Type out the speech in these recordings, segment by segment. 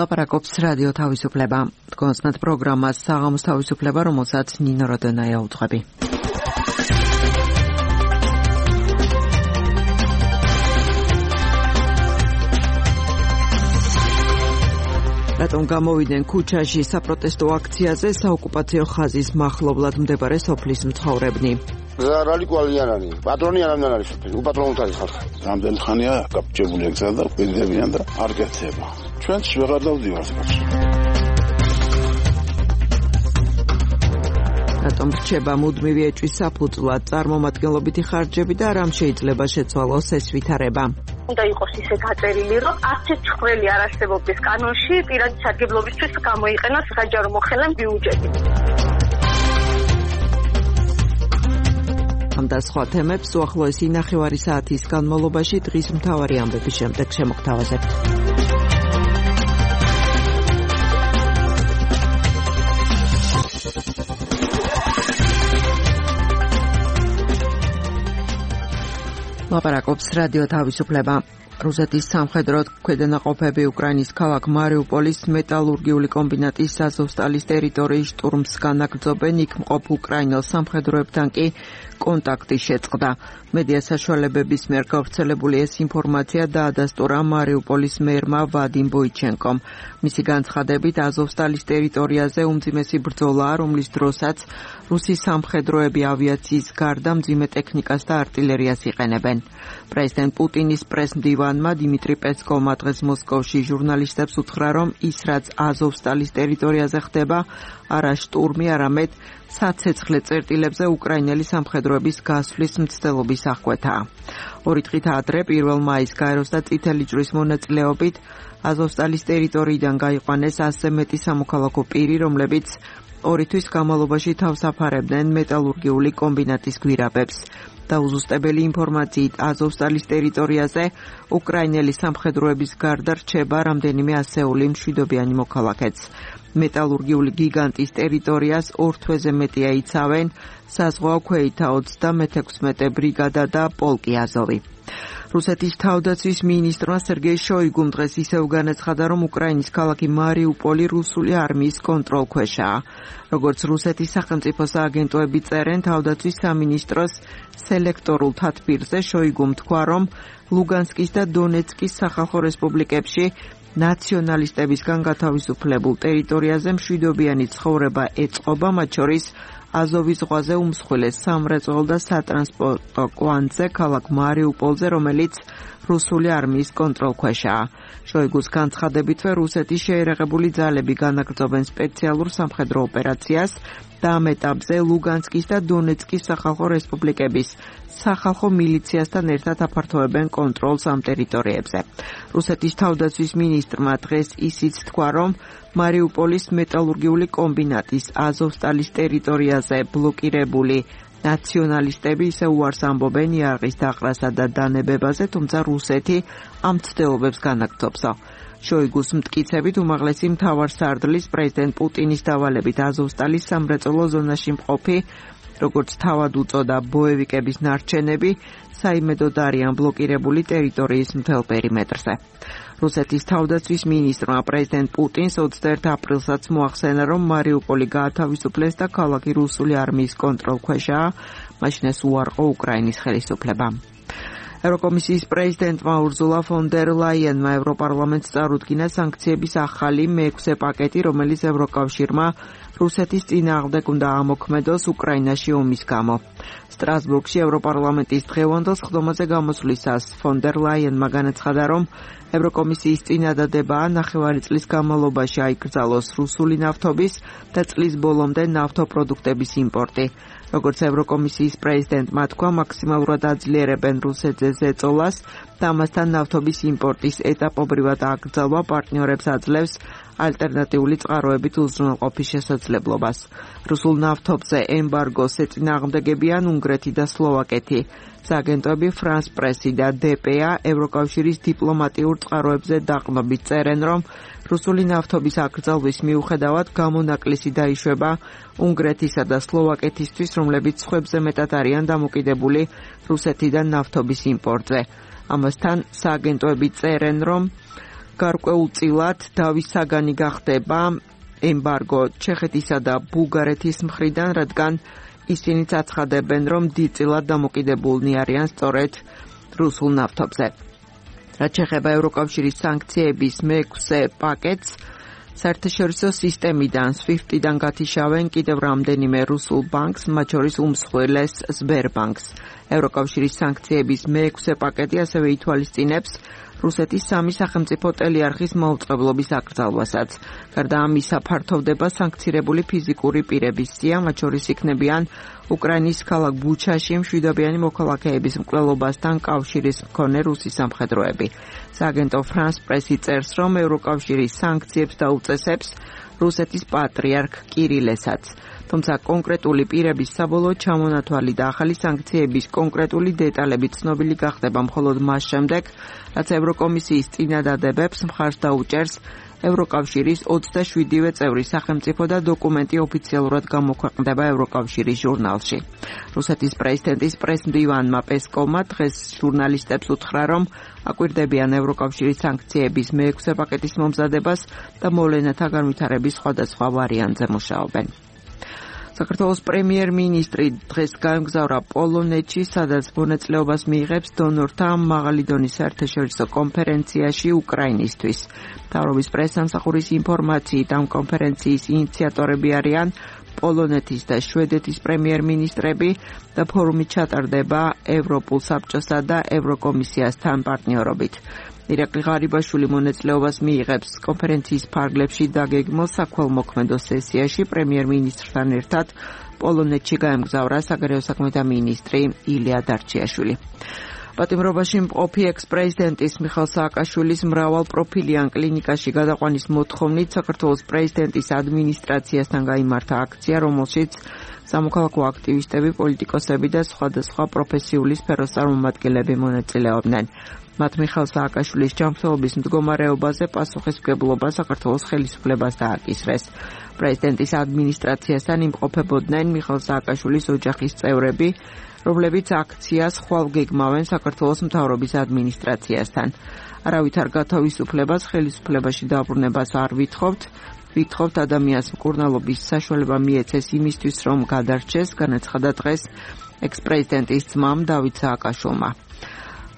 ლაპარაკობს რადიო თავისუფლება. კონსტანტ პროგრამას საღამოს თავისუფლება, რომელსაც ნინო როდონაია უძღვები. რატომ გამოვიდნენ ქუჩაში საპროტესტო აქციაზე საოკუპაციო ხაზის მახლობლად მდებარე სოფლის მცხოვრებნი? რალიკვალიანანი, პატრონი არამდენ არის, უპატრონოთ არის ხალხი. რამდენი ხანია გაფრთხილებული ეგ და პირდებიან და არ გეცება. ჩვენც ვეღარ დავდივართ კაცო. რატომ რჩება მუდმივი ეჭვის საფუძვლად წარმომადგენლობითი ხარჯები და რამ შეიძლება შეცვალოს ეს ვითარება? უნდა იყოს ისე გაწერილი, რომ არც ერთ ცხრილი არ არსებობდეს კანონში პირადი სარგებლობისთვის გამოიყენოს საჯარო მოხელე ბიუჯეტი. ამ და სხვა თემებს უახლოესი ნახევარი საათის განმავლობაში დღის მთავარი ამბების შემდეგ შემოგთავაზებთ. ლაპარაკობს რადიო თავისუფლება. რუსეთის სამხედრო ქვედანაყოფები უკრაინის ქალაქ მარიუპოლის მეტალურგიული კომბინატის აზოვსტალის ტერიტორიის შტურმს განაგრძობენ, იქ მყოფ უკრაინელ სამხედროებთან კი კონტაქტი შეწყდა. მედია საშუალებების მიერ გავრცელებული ეს ინფორმაცია დაადასტურა მარიუპოლის მერმა ვადიმ ბოიჩენკომ. მისი განცხადებით, აზოვსტალის ტერიტორიაზე უმძიმესი ბრძოლაა, რომლის დროსაც რუსი სამხედროები ავიაციის გარდა მძიმე ტექნიკას და артиლერიას იყენებენ. პრეზიდენტ პუტინის პრესმდივანმა დიმიტრი პესკოვმა დღეს მოსკოვში ჟურნალისტებს უთხრა, რომ ის რაც აზოვსტალის ტერიტორიაზე ხდება, არა შტურმი, არამედ საცეცხლე წერტილებზე უკრაინელი სამხედროების გასვლის მცდელობის აღკვეთაა. 2 დღით ადრე 1 მაისს გაეროს და წითელი ჯვრის მონაწილეობით აზოვსტალის ტერიტორიიდან გაიყვანეს 100-ზე მეტი სამოქალაქო პირი, რომლებიც 2 თვის განმავლობაში თავს აფარებდნენ მეტალურგიული კომბინატის გვირაბებს. დაუზუსტებელი ინფორმაციით აზოვსტალის ტერიტორიაზე უკრაინელი სამხედროების გარდა რჩება რამდენიმე ასეული მშვიდობიანი მოქალაქეც. მეტალურგიული გიგანტის ტერიტორიას 2 თვეზე მეტი აიცავენ საზღვაო ქვეითა 36 ბრიგადა და პოლკი აზოვი. რუსეთის თავდაცვის მინისტრმა სერგეი შოიგუმ დღეს ისევ განაცხადა, რომ უკრაინის ქალაქი მარიუპოლი რუსული არმიის კონტროლქვეშაა. როგორც რუსეთის სახელმწიფო სააგენტოები წერენ, თავდაცვის სამინისტროს სელექტორულ თათბირზე შოიგუმ თქვა, რომ ლუგანსკის და დონეცკის სახალხო რესპუბლიკებში ნაციონალისტებისგან გათავისუფლებულ ტერიტორიაზე მშვიდობიანი ცხოვრება ეწყობა, მათ შორის აზოვის ზღვაზე უმსხვილეს სამრეწველო და სატრანსპორტო კვანძზე ქალაქ მარიუპოლზე, რომელიც რუსული არმიის კონტროლქვეშაა. შოიგუს განცხადებითვე რუსეთის შეერაღებული ძალები განაგრძობენ სპეციალურ სამხედრო ოპერაციას და ამ ეტაპზე ლუგანსკის და დონეცკის სახალხო რესპუბლიკების სახალხო მილიციასთან ერთად აფართოვებენ კონტროლს ამ ტერიტორიებზე. რუსეთის თავდაცვის მინისტრმა დღეს ისიც თქვა, რომ მარიუპოლის მეტალურგიული კომბინატის აზოვსტალის ტერიტორიაზე ბლოკირებული ნაციონალისტები ისე უარს ამბობენ იარაღის დაყრასა და დანებებაზე, თუმცა რუსეთი ამ ცდილობებს განაგრძობსო. შოიგუს მტკიცებით უმაღლესი მთავარსარდლის პრეზიდენტ პუტინის დავალებით აზოვსტალის სამრეწველო ზონაში მყოფი, როგორც თავად უწოდა ბოევიკების ნარჩენები, საიმედოდ არიან ბლოკირებული ტერიტორიის მთელ პერიმეტრზე. რუსეთის თავდაცვის მინისტრმა პრეზიდენტ პუტინს 21 აპრილსაც მოახსენა, რომ მარიუპოლი გაათავისუფლეს და ქალაქი რუსული არმიის კონტროლქვეშაა, მაშინ ეს უარყო უკრაინის ხელისუფლებამ. ევროკომისიის პრეზიდენტმა ურზულა ფონ დერ ლაიენმა ევროპარლამენტს წარუდგინა სანქციების ახალი მე-6 პაკეტი, რომელიც ევროკავშირმა რუსეთის წინააღმდეგ უნდა ამოქმედოს უკრაინაში ომის გამო. სტრასბურგში ევროპარლამენტის დღევანდელ სხდომაზე გამოსვლისას ფონ დერ ლაიენმა განაცხადა, რომ ევროკომისიის წინადადებაა ნახევარი წლის განმავლობაში აიკრძალოს რუსული ნავთობის და წლის ბოლომდე ნავთობპროდუქტების იმპორტი. როგორც ევროკომისიის პრეზიდენტმა თქვა, მაქსიმალურად აძლიერებენ რუსეთზე ზეწოლას და ამასთან ნავთობის იმპორტის ეტაპობრივად აკრძალვა პარტნიორებს აძლევს ალტერნატიული წყაროებით უზრუნველყოფის შესაძლებლობას. რუსულ ნავთობზე ემბარგოს ეწინააღმდეგებიან უნგრეთი და სლოვაკეთი. სააგენტოები France Press-ი და DPA ევროკავშირის დიპლომატიურ წყაროებზე დაყრდნობით წერენ, რომ რუსული ნავთობის აკრძალვის მიუხედავად გამონაკლისი დაიშვება უნგრეთისა და სლოვაკეთისთვის, რომლებიც სხვებზე მეტად არიან დამოკიდებული რუსეთიდან ნავთობის იმპორტზე. ამასთან სააგენტოები წერენ, რომ გარკვეულ წილად დავის საგანი გახდება ემბარგო ჩეხეთისა და ბულგარეთის მხრიდან, რადგან ისინიც აცხადებენ, რომ დიდწილად დამოკიდებულნი არიან სწორედ რუსულ ნავთობზე. რაც შეეხება ევროკავშირის სანქციების მეექვსე პაკეტს, საერთაშორისო სისტემიდან SWIFT-დან გათიშავენ კიდევ რამდენიმე რუსულ ბანკს, მათ შორის უმსხვილეს Sberbank-ს. ევროკავშირის სანქციების მეექვსე პაკეტი ასევე ითვალისწინებს რუსეთის სამი სახელმწიფო ტელეარხის მაუწყებლობის აკრძალვასაც. გარდა ამისა, ფართოვდება სანქცირებული ფიზიკური პირების სია, მათ შორის იქნებიან უკრაინის ქალაქ ბუჩაში მშვიდობიანი მოქალაქეების მკვლელობასთან კავშირის მქონე რუსი სამხედროები. სააგენტო France Press-ი წერს, რომ ევროკავშირის სანქციებს დაუწესებს რუსეთის პატრიარქ კირილესაც. თუმცა კონკრეტული პირების საბოლოო ჩამონათვალი და ახალი სანქციების კონკრეტული დეტალები ცნობილი გახდება მხოლოდ მას შემდეგ, რაც ევროკომისიის წინადადებებს მხარს დაუჭერს ევროკავშირის 27-ვე წევრი სახელმწიფო და დოკუმენტი ოფიციალურად გამოქვეყნდება ევროკავშირის ჟურნალში. რუსეთის პრეზიდენტის პრესმდივანმა პესკოვმა დღეს ჟურნალისტებს უთხრა, რომ აკვირდებიან ევროკავშირის სანქციების მეექვსე პაკეტის მომზადებას და მოვლენათა განვითარების სხვადასხვა ვარიანტზე მუშაობენ. საქართველოს პრემიერ-მინისტრი დღეს გაემგზავრა პოლონეთში, სადაც მონაწილეობას მიიღებს დონორთა მაღალი დონის საერთაშორისო კონფერენციაში უკრაინისთვის. მთავრობის პრესსამსახურის ინფორმაციით, ამ კონფერენციის ინიციატორები არიან პოლონეთის და შვედეთის პრემიერ-მინისტრები და ფორუმი ჩატარდება ევროპულ საბჭოსა და ევროკომისიასთან პარტნიორობით. ირაკლი ღარიბაშვილი მონაწილეობას მიიღებს კონფერენციის ფარგლებში დაგეგმილ საქველმოქმედო სესიაში. პრემიერ-მინისტრთან ერთად პოლონეთში გაემგზავრა საგარეო საქმეთა მინისტრი ილია დარჩიაშვილი. პატიმრობაში მყოფი ექს-პრეზიდენტის მიხეილ სააკაშვილის მრავალპროფილიან კლინიკაში გადაყვანის მოთხოვნით საქართველოს პრეზიდენტის ადმინისტრაციასთან გაიმართა აქცია, რომელშიც სამოქალაქო აქტივისტები, პოლიტიკოსები და სხვადასხვა პროფესიული სფეროს წარმომადგენლები მონაწილეობდნენ. მათ მიხეილ სააკაშვილის ჯანმრთელობის მდგომარეობაზე პასუხისმგებლობა საქართველოს ხელისუფლებას დააკისრეს. პრეზიდენტის ადმინისტრაციასთან იმყოფებოდნენ მიხეილ სააკაშვილის ოჯახის წევრები, რომლებიც აქციას ხვალ გეგმავენ საქართველოს მთავრობის ადმინისტრაციასთან. არავით არ გათავისუფლებას, ხელისუფლებაში დაბრუნებას არ ვითხოვთ. ვითხოვთ ადამიანს მკურნალობის საშუალება მიეცეს იმისთვის, რომ გადარჩეს, განაცხადა დღეს ექს-პრეზიდენტის ძმამ დავით სააკაშვილმა.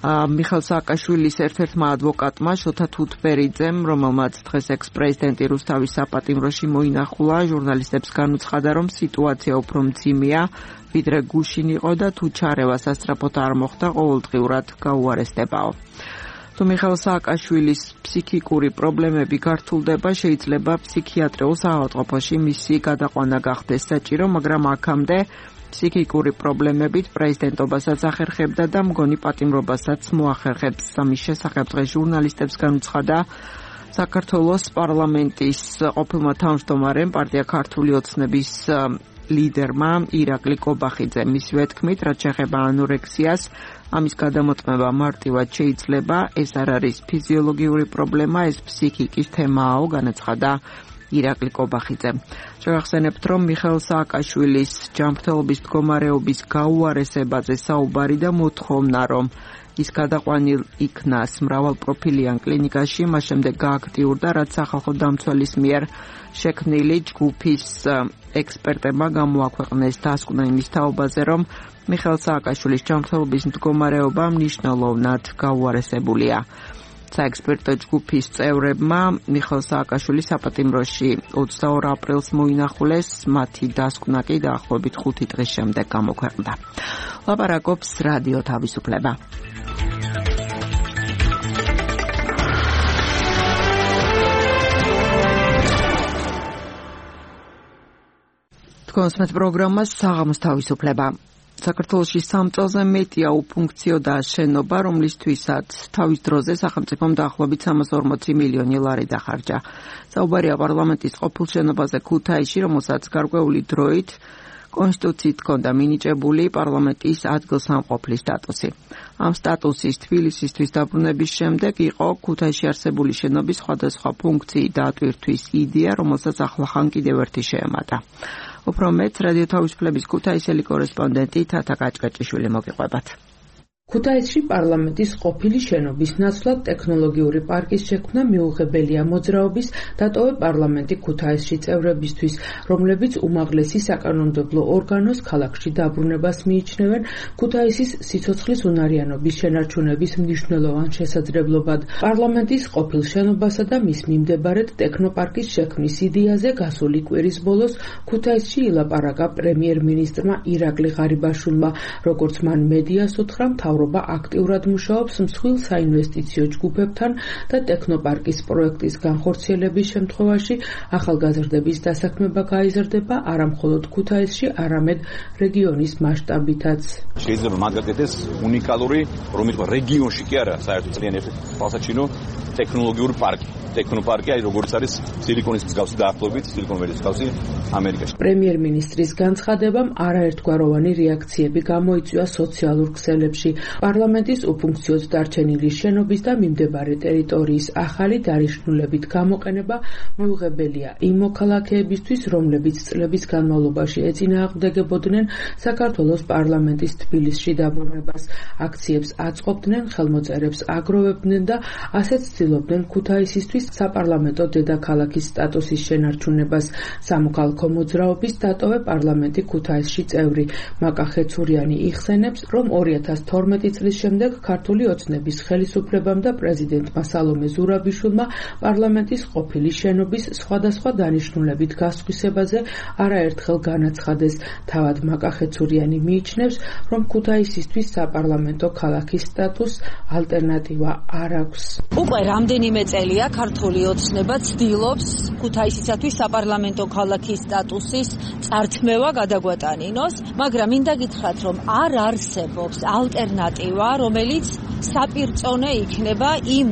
მიხეილ სააკაშვილის ერთ-ერთმა ადვოკატმა შოთა თუთბერიძემ, რომელმაც დღეს ექს-პრეზიდენტი რუსთავის საპატიმროში მოინახულა, ჟურნალისტებს განუცხადა, რომ სიტუაცია უფრო მძიმეა, ვიდრე გუშინ იყო და თუ ჩარევა სასწრაფოდ არ მოხდა, ყოველდღიურად გაუარესდებაო. თუ მიხეილ სააკაშვილის ფსიქიკური პრობლემები გართულდება, შეიძლება ფსიქიატრიულ საავადმყოფოში მისი გადაყვანა გახდეს საჭირო, მაგრამ აქამდე ფსიქიკური პრობლემებით პრეზიდენტობასაც ახერხებდა და მგონი პატიმრობასაც მოახერხებს. ამის შესახებ დღეს ჟურნალისტებს განუცხადა საქართველოს პარლამენტის ყოფილმა თავმჯდომარემ, პარტია ქართული ოცნების ლიდერმა ირაკლი კობახიძე. მისივე თქმით, რაც შეეხება ანორექსიას, ამის გადამოწმება მარტივად შეიძლება, ეს არ არის ფიზიოლოგიური პრობლემა, ეს ფსიქიკის თემაა, განაცხადა ირაკლი კობახიძე. შევახსენებთ, რომ მიხეილ სააკაშვილის ჯანმრთელობის მდგომარეობის გაუარესებაზე საუბარი და მოთხოვნა, რომ ის გადაყვანილ იქნას მრავალპროფილიან კლინიკაში, მას შემდეგ გააქტიურდა, რაც სახალხო დამცველის მიერ შექმნილი ჯგუფის ექსპერტებმა გამოაქვეყნეს დასკვნა იმის თაობაზე, რომ მიხეილ სააკაშვილის ჯანმრთელობის მდგომარეობა მნიშვნელოვნად გაუარესებულია. საექსპერტო ჯგუფის წევრებმა მიხეილ სააკაშვილის საპატიმროში 22 აპრილს მოინახულეს, მათი დასკვნა კი დაახლოებით 5 დღის შემდეგ გამოქვეყნდა. ლაპარაკობს რადიო თავისუფლება. თქვენს პროგრამას საღამოს თავისუფლება. საქართველოში 3 წელზე მეტია უფუნქციო და შენობა, რომლისთვისაც თავის დროზე სახელმწიფომ დაახლოებით 340 მილიონი ლარი დახარჯა. საუბარია პარლამენტის ყოფილ შენობაზე ქუთაისში, რომელსაც გარკვეული დროით კონსტიტუციით ჰქონდა მინიჭებული პარლამენტის ადგილსამყოფლის სტატუსი. ამ სტატუსის თბილისისთვის დაბრუნების შემდეგ იყო ქუთაისში არსებული შენობის სხვადასხვა ფუნქციის დატვირთვის იდეა, რომელსაც ახლახან კიდევ ერთი შეემატა. უფრო მეტ რადიო თავისუფლების ქუთაისელი კორესპონდენტი თათა კაჭკაჭიშვილი მოგიყვებათ. ქუთაისში პარლამენტის ყოფილი შენობის ნაცვლად ტექნოლოგიური პარკის შექმნა მიუღებელია მოძრაობის დატოვე პარლამენტი ქუთაისში წევრებისთვის, რომლებიც უმაღლესი საკანონმდებლო ორგანოს ქალაქში დაბრუნებას მიიჩნევენ ქუთაისის სიცოცხლის უნარიანობის შენარჩუნების მნიშვნელოვან შესაძლებლობად. პარლამენტის ყოფილ შენობასა და მის მიმდებარედ ტექნოპარკის შექმნის იდეაზე გასული კვირის ბოლოს ქუთაისში ილაპარაკა პრემიერ-მინისტრმა ირაკლი ღარიბაშვილმა, როგორც მან მედიას უთხრა, მთავრობა აქტიურად მუშაობს მსხვილ საინვესტიციო ჯგუფებთან და ტექნოპარკის პროექტის განხორციელების შემთხვევაში ახალგაზრდების დასაქმება გაიზრდება არა მხოლოდ ქუთაისში, არამედ რეგიონის მასშტაბითაც. შეიძლება მათ გაკეთდეს უნიკალური, რომელიც რეგიონში კი არა, საერთოდ ძალიან თვალსაჩინო ტექნოლოგიური პარკი. ტექნოპარკი, როგორც არის სილიკონის მსგავსი დაახლოებით, სილიკონ ველის მსგავსი ამერიკაში. პრემიერ-მინისტრის განცხადებამ არაერთგვაროვანი რეაქციები გამოიწვია სოციალურ ქსელებში. პარლამენტის უფუნქციოდ დარჩენილი შენობის და მიმდებარე ტერიტორიის ახალი დანიშნულებით გამოყენება მიუღებელია იმ მოქალაქეებისთვის, რომლებიც წლების განმავლობაში ეწინააღმდეგებოდნენ საქართველოს პარლამენტის თბილისში დაბრუნებას. აქციებს აწყობდნენ, ხელმოწერებს აგროვებდნენ და ასეც ცდილობდნენ ქუთაისისთვის საპარლამენტო დედაქალაქის სტატუსის შენარჩუნებას. სამოქალაქო მოძრაობის დატოვე პარლამენტი ქუთაისში წევრი მაკა ხეცურიანი იხსენებს, რომ 2012 წლის შემდეგ ქართული ოცნების ხელისუფლებამ და პრეზიდენტმა სალომე ზურაბიშვილმა პარლამენტის ყოფილი შენობის სხვადასხვა დანიშნულებით გასხვისებაზე არაერთხელ განაცხადეს. თავად მაკა ხეცურიანი მიიჩნევს, რომ ქუთაისისთვის საპარლამენტო ქალაქის სტატუსს ალტერნატივა არ აქვს. უკვე რამდენიმე წელია ქართული ოცნება ცდილობს ქუთაისისათვის საპარლამენტო ქალაქის სტატუსის წართმევა გადაგვატანინოს, მაგრამ მინდა გითხრათ, რომ არ არსებობს ალტერნატივა, რომელიც საპირწონე იქნება იმ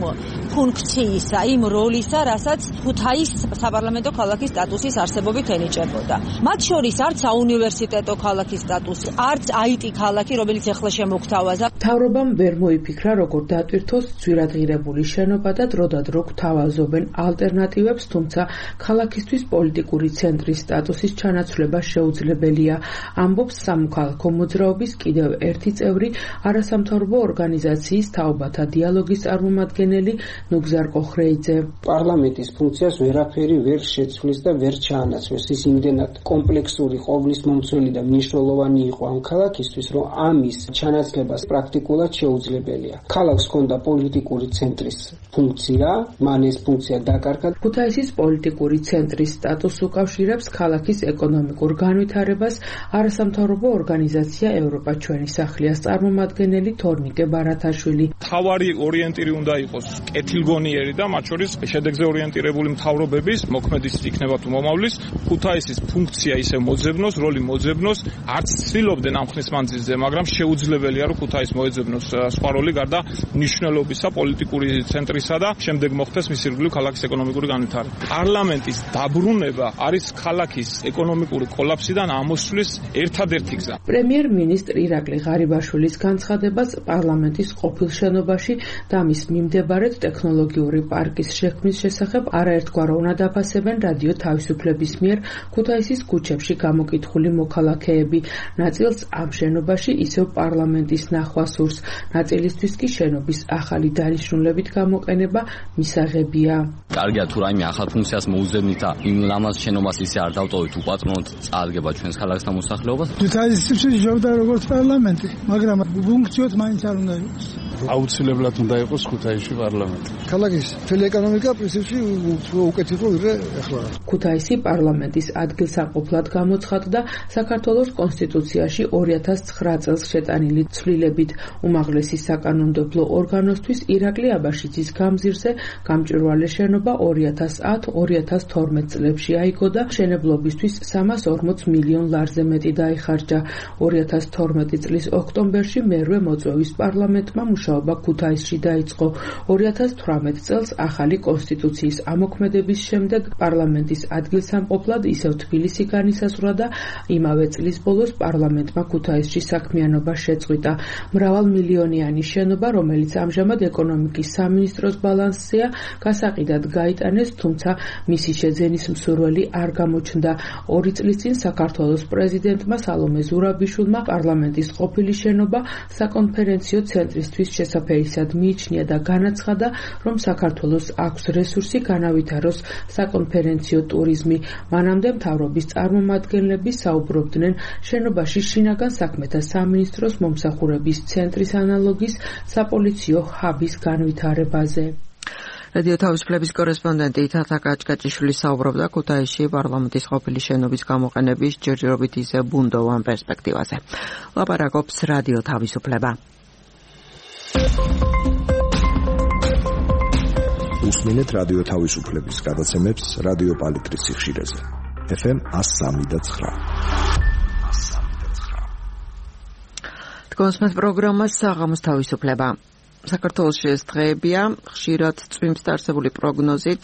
ფუნქციისა, იმ როლისა, რასაც ქუთაის საპარლამენტო ქალაქის სტატუსის არსებობით ენიჭებოდა. მათ შორის არც საუნივერსიტეტო ქალაქის სტატუსი, არც IT ქალაქი, რომელიც ეხლა შემოგთავაზა. მთავრობამ ვერ მოიფიქრა, როგორ დატვირთოს ძვირადღირებული შენობა და დროდადრო გვთავაზობენ ალტერნატივებს, თუმცა ქალაქისთვის პოლიტიკური ცენტრის სტატუსის ჩანაცვლება შეუძლებელია, ამბობს სამოქალაქო მოძრაობის კიდევ ერთი წევრი, არასამთავრობო ორგანიზაციის თაობათა დიალოგის წარმომადგენელი ნუგზარ კოხრეიძე. პარლამენტის ფუნქციას ვერაფერი ვერ შეცვლის და ვერ ჩაანაცვლეს. ის იმდენად კომპლექსური, ყოვლის მომცველი და მნიშვნელოვანი იყო ამ ქალაქისთვის, რომ ამის ჩანაცვლება პრაქტიკულად შეუძლებელია. ქალაქს ჰქონდა პოლიტიკური ცენტრის ფუნქცია, მან ეს ფუნქცია დაკარგა. ქუთაისის პოლიტიკური ცენტრის სტატუსს უკავშირებს ქალაქის ეკონომიკურ განვითარებას არასამთავრობო ორგანიზაცია ევროპა ჩვენი სახლიას წარმომადგენელი თორნიკე ბარათაშვილი. მთავარი ორიენტირი უნდა იყოს კეთილგონიერი და მათ შორის შედეგზე ორიენტირებული მთავრობების მოქმედის იქნება თუ მომავლის ქუთაისის ფუნქცია ისე მოძებნოს, როლი მოძებნოს, არც ცდილობდნენ ამ ხნის მანძილზე, მაგრამ შეუძლებელია რომ ქუთაის მოეძებნოს სხვა როლი გარდა მნიშვნელობისა პოლიტიკური ცენტრისა და შემდეგ მოხდეს მის ირგვლივ ქალაქის ეკონომიკური განვითარება. პარლამენტის დაბრუნება არის ქალაქის ეკონომიკური კოლაფსიდან ამოსვლის ერთადერთი გზა. პრემიერ-მინისტრ ირაკლი ღარიბაშვილის განცხადებას პარლამენტის ყოფილ შენობაში და მის მიმდებარედ ტექნოლოგიური პარკის შექმნის შესახებ არაერთგვაროვნად აფასებენ რადიო თავისუფლების მიერ ქუთაისის ქუჩებში გამოკითხული მოქალაქეები. ნაწილს ამ შენობაში ისევ პარლამენტის ნახვა სურს, ნაწილისთვის კი შენობის ახალი დანიშნულებით გამოყენება მისაღებია. კარგია თუ რაიმე ახალ ფუნქციას მოუძებნით და იმ ლამაზ შენობას ისე არ დავტოვით უპატრონოთ წარგება ჩვენს ქალაქს და მოსახლეობას. ქუთაისში ჯობდა როგორც პარლამენტი, მაგრამ ფუნქციოთ მაინც არ უნდა იყოს. აუცილებლად უნდა იყოს ქუთაისში პარლამენტი. ქალაქის მთელი ეკონომიკა პრინციპში უკეთ იყო ვიდრე ახლა. ქუთაისი პარლამენტის ადგილსამყოფლად გამოცხადდა საქართველოს კონსტიტუციაში 2009 წელს შეტანილი ცვლილებით. უმაღლესი საკანონმდებლო ორგანოსთვის ირაკლი აბაშიძის გამზირზე გამჭვირვალე შენობა 2010-2012 წლებში აიგო და მშენებლობისთვის 340 მილიონ ლარზე მეტი დაიხარჯა. 2012 წლის ოქტომბერში მერვე მოწვევის პარლამენტმა მუშაობა მოღვაწეობა ქუთაისში დაიწყო. 2018 წელს ახალი კონსტიტუციის ამოქმედების შემდეგ პარლამენტის ადგილსამყოფლად ისევ თბილისი განისაზღვრა და იმავე წლის ბოლოს პარლამენტმა ქუთაისში საქმიანობა შეწყვიტა. მრავალმილიონიანი შენობა, რომელიც ამჟამად ეკონომიკის სამინისტროს ბალანსზეა, გასაყიდად გაიტანეს, თუმცა მისი შეძენის მსურველი არ გამოჩნდა. 2 წლის წინ საქართველოს პრეზიდენტმა სალომე ზურაბიშვილმა პარლამენტის ყოფილი შენობა საკონფერენციო ცენტრისთვის შესაფერისად მიიჩნია და განაცხადა, რომ საქართველოს აქვს რესურსი განავითაროს საკონფერენციო ტურიზმი. მანამდე მთავრობის წარმომადგენლები საუბრობდნენ შენობაში შინაგან საქმეთა სამინისტროს მომსახურების ცენტრის ანალოგის საპოლიციო ჰაბის განვითარებაზე. რადიო თავისუფლების კორესპონდენტი თათა კაჭკაჭიშვილი საუბრობდა ქუთაისში პარლამენტის ყოფილი შენობის გამოყენების ჯერჯერობით ისე ბუნდოვან პერსპექტივაზე. ლაპარაკობს რადიო თავისუფლება. უსმენთ რადიო თავისუფლების გადაცემებს რადიო პალიტრის სიხშირეზე. FM 103.9. თქვენს პროგრამა საღამოს თავისუფლება. საქართველოში ეს დღეებია, ხშირად წვიმს დაარსებული პროგნოზით,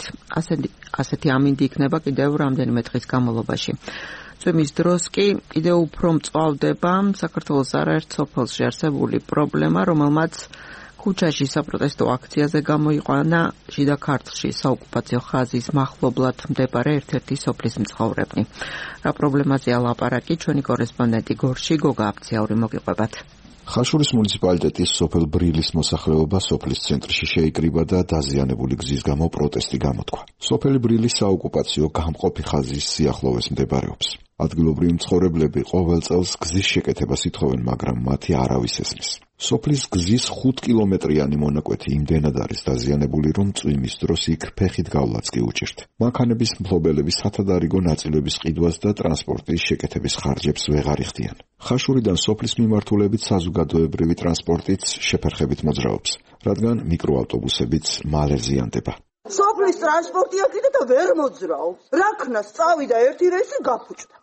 ასეთი ამინდი იქნება კიდევ რამდენიმე დღის განმავლობაში. წვიმის დროს კი კიდევ უფრო მწვავდება საქართველოს არაერთ სოფელში არსებული პრობლემა, რომელმაც ქუჩაში საპროტესტო აქციაზე გამოიყვანა შიდა ქართლში საოკუპაციო ხაზის მახლობლად მდებარე ერთ-ერთი სოფლის მცხოვრებნი. რა პრობლემაზეა ლაპარაკი, ჩვენი კორესპონდენტი გორში გოგა აფციაური მოგიყვებათ. ხაშურის მუნიციპალიტეტის სოფელ ბრილის მოსახლეობა სოფლის ცენტრში შეიკრიბა და დაზიანებული გზის გამო პროტესტი გამოთქვა. სოფელი ბრილის საოკუპაციო გამყოფი ხაზის სიახლოვეს მდებარეობს. ადგილობრივი მცხოვრებლები ყოველ წელს გზის შეკეთებას ითხოვენ, მაგრამ მათი არავის ესმის. სოფლის გზის 5 კილომეტრიანი მონაკვეთი იმდენად არის დაზიანებული, რომ წვიმის დროს იქ ფეხით გავლაც კი უჭირთ. მანქანების მფლობელები სათადარიგო ნაწილების ყიდვას და ტრანსპორტის შეკეთების ხარჯებს ვეღარ იხდიან. ხაშურიდან სოფლის მიმართულებით საზოგადოებრივი ტრანსპორტიც შეფერხებით მოძრაობს, რადგან მიკროავტობუსებიც მალე ზიანდება. სოფლის ტრანსპორტია კიდე და ვერ მოძრაობს. რა ქნას წავიდა ერთი რეისი გაფუჭდა.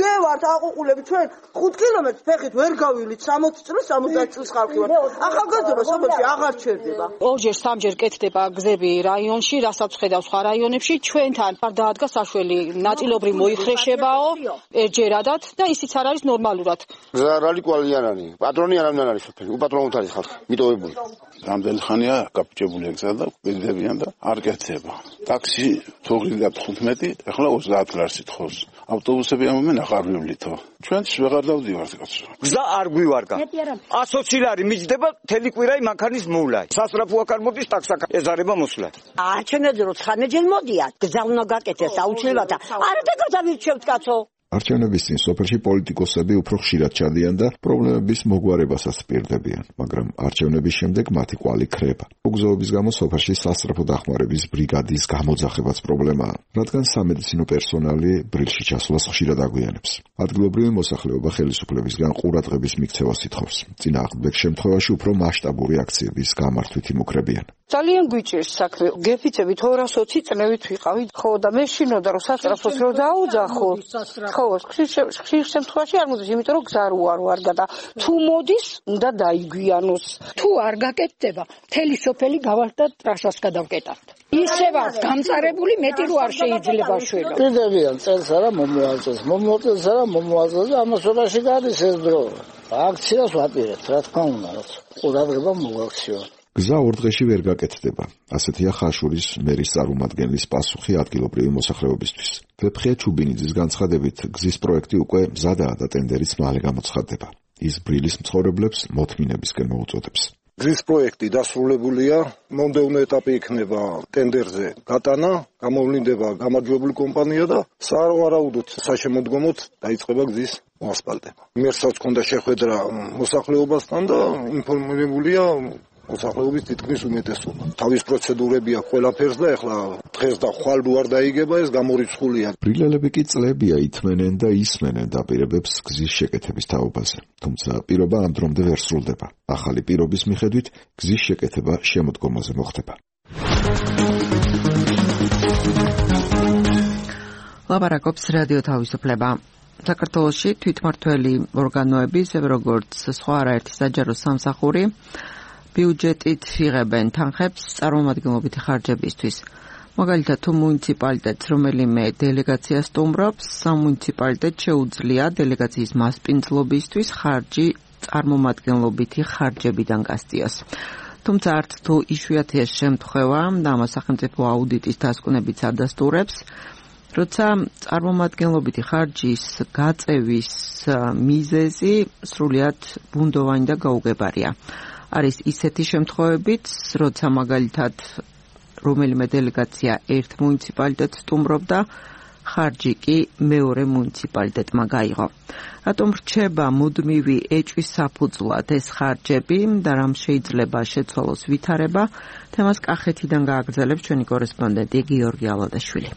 გევართ აყუყულები ჩვენ 5 კილომეტრს ფეხით ვერ გავივლით 60 წელს 70 წელს ხალხი ვარ. ახალგაზრდა სოფელში აღარ ჩერდება. ორჯერ სამჯერ კეთდება გზები რაიონში, რასაც ხედავ სხვა რაიონებში, ჩვენთან არ დაადგა საშველი ნაწილობრივ მოიხრეშებაო ერთჯერადად და ისიც არ არის ნორმალურად. გზა რალიკვალიანანი, პატრონი არამდენ არის სოფელი, უპატრონოდ არის ხალხი, მიტოვებული. რამდენი ხანია გაფუჭებული გზა და გვერდებიან და არ კეთდება. ტაქსი თოღლიდა 15, ახლა 30 ლარს ითხოვს. ავტობუსები ამომენ აღარ მივლითო. ჩვენც ვეღარ დავდივართ კაცო. გზა არ გვივარგა. 120 ლარი მიჯდება თელი კვირაი მანქანის მოვლა. სასწრაფო აქ არ მოდის ტაქსაკ ეზარება მოსვლა. არჩევნებზე რო 19 მოდიან, გზა უნდა გაკეთდეს აუცილებლად. არა და გადავირჩევთ კაცო. არჩევნების წინ სოფელში პოლიტიკოსები უფრო ხშირად ჩადიან და პრობლემების მოგვარებასაც პირდებიან, მაგრამ არჩევნების შემდეგ მათი კვალი ქრება. მოგზაურობის გამო სოფელში სასწრაფო დახმარების ბრიგადის გამოძახებაც პრობლემაა, რადგან სამედიცინო პერსონალი ბრილში ჩასვლას ხშირად აგვიანებს. ადგილობრივი მოსახლეობა ხელისუფლებისგან ყურადღების მიქცევას ითხოვს. წინააღმდეგ შემთხვევაში უფრო მასშტაბური აქციების გამართვით იმუქრებიან. ძალიან გვიჭირს საქმე. გეფიცებით 220 წლებით ვიყავით. ხო და მე შინოდა რომ სასწრაფოს რო დაუძახო. ხო, ხშირ შემთხვევაში არ მოდის, იმიტომ რომ გზა რო არ გადა. თუ მოდის, უნდა დაიგვიანოს. თუ არ გაკეთდება, მთელი სოფელი გავარდა ტრასას გადავკეტავთ. ისე ვარ გამწარებული, მეტი რო არ შეიძლება შველა. კიდევიან წელს არა მომოაწეს, მომოაწეს არა მომოაწეს და ამასობაში გადის ეს დრო. აქციას ვაპირებთ, რა თქმა უნდა, ყურადღება მოვაქციო. გზა 2 დღეში ვერ გაკეთდება. ასეთია ხაშურის მერის წარმომადგენლის პასუხი ადგილობრივი მოსახლეობისთვის. ვეფხია ჩუბინიძის განცხადებით, გზის პროექტი უკვე მზადაა და ტენდერიც მალე გამოცხადდება. ის ბრილის მცხოვრებლებს მოთმინებისკენ მოუწოდებს. გზის პროექტი დასრულებულია, მომდევნო ეტაპი იქნება ტენდერზე გატანა, გამოვლინდება გამარჯვებული კომპანია და სავარაუდოდ საშემოდგომოდ დაიწყება გზის მოასფალტება. მერსაც ჰქონდა შეხვედრა მოსახლეობასთან და ინფორმირებულია მოსახლეობის თითქმის უმეტესობა. თავის პროცედურები აქვს ყველაფერს და ეხლა დღეს და ხვალ არ დაიგება, ეს გამორიცხულია. ბრილელები კი წლებია ითმენენ და ისმენენ დაპირებებს გზის შეკეთების თაობაზე. თუმცა პირობა ამ დრომდე ვერ სრულდება. ახალი პირობის მიხედვით გზის შეკეთება შემოდგომაზე მოხდება. ლაპარაკობს რადიო თავისუფლება. საქართველოში თვითმმართველი ორგანოები, როგორც სხვა არაერთი საჯარო სამსახური, ბიუჯეტით იღებენ თანხებს წარმომადგენლობითი ხარჯებისთვის. მაგალითად, თუ მუნიციპალიტეტს რომელიმე დელეგაცია სტუმრობს, სამუნიციპალიტეტ შეუძლია დელეგაციის მასპინძლობისთვის ხარჯი წარმომადგენლობითი ხარჯებიდან გასწიოს. თუმცა არც თუ იშვიათია შემთხვევა და ამას სახელმწიფო აუდიტის დასკვნებიც ადასტურებს, როცა წარმომადგენლობითი ხარჯის გაწევის მიზეზი სრულიად ბუნდოვანი და გაუგებარია. არის ისეთი შემთხვევებიც, როცა მაგალითად რომელიმე დელეგაცია ერთ მუნიციპალიტეტს სტუმრობდა, ხარჯი კი მეორე მუნიციპალიტეტმა გაიღო. რატომ რჩება მუდმივი ეჭვის საფუძვლად ეს ხარჯები და რამ შეიძლება შეცვალოს ვითარება, თემას კახეთიდან გააგრძელებს ჩვენი კორესპონდენტი გიორგი ალოდაშვილი.